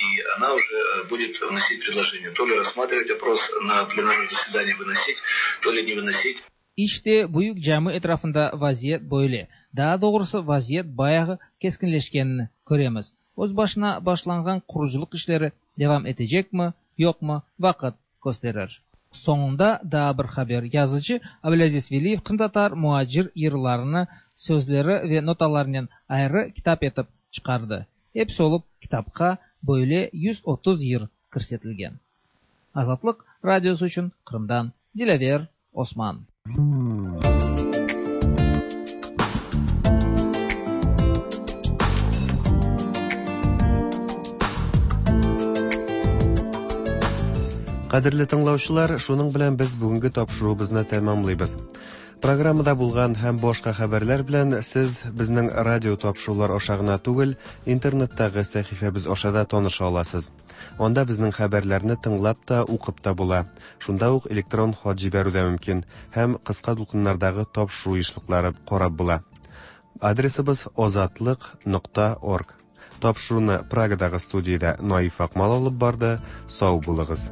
и она уже будет вносить предложение, то ли рассматривать вопрос на пленарном заседании выносить, то ли не выносить. İşte büyük cami etrafında vaziyet böyle. Daa doğrusı vaziyet bayağı keskinleşkenini köremiz. Öz başına başlanğan qurucılıq işleri devam etecekmi, yoqmı vaqıt kösterir. Soñunda daa bir haber. Yazıcı Ablâziz Veliyev qırımtatar muacir yırlarını sözleri ve notalarnen ayrı kitap etip çıqardı. Episi olıp kitapqa böyle yüz otuz yır kirsetilgen. Azatlıq radiosı içün Qırımdan Dilâver Osman. Кадерле тыңлаучылар, шуның белән без бүгенге тапшыруыбызны тәмамлыйбыз. Программада булган һәм башка хәбәрләр белән сез безнең радио тапшырулар аша гына түгел, интернеттагы сәхифәбез аша да таныша аласыз. Анда безнең хәбәрләрне тыңлап та, укып та була. Шунда ук электрон хат җибәрү дә мөмкин һәм кыска дулкыннардагы тапшыру ешлыклары карап була. Адресыбыз азатлык нокта орг. Тапшыруны Прагадагы студиядә Наиф Акмал алып барды. Сау булыгыз.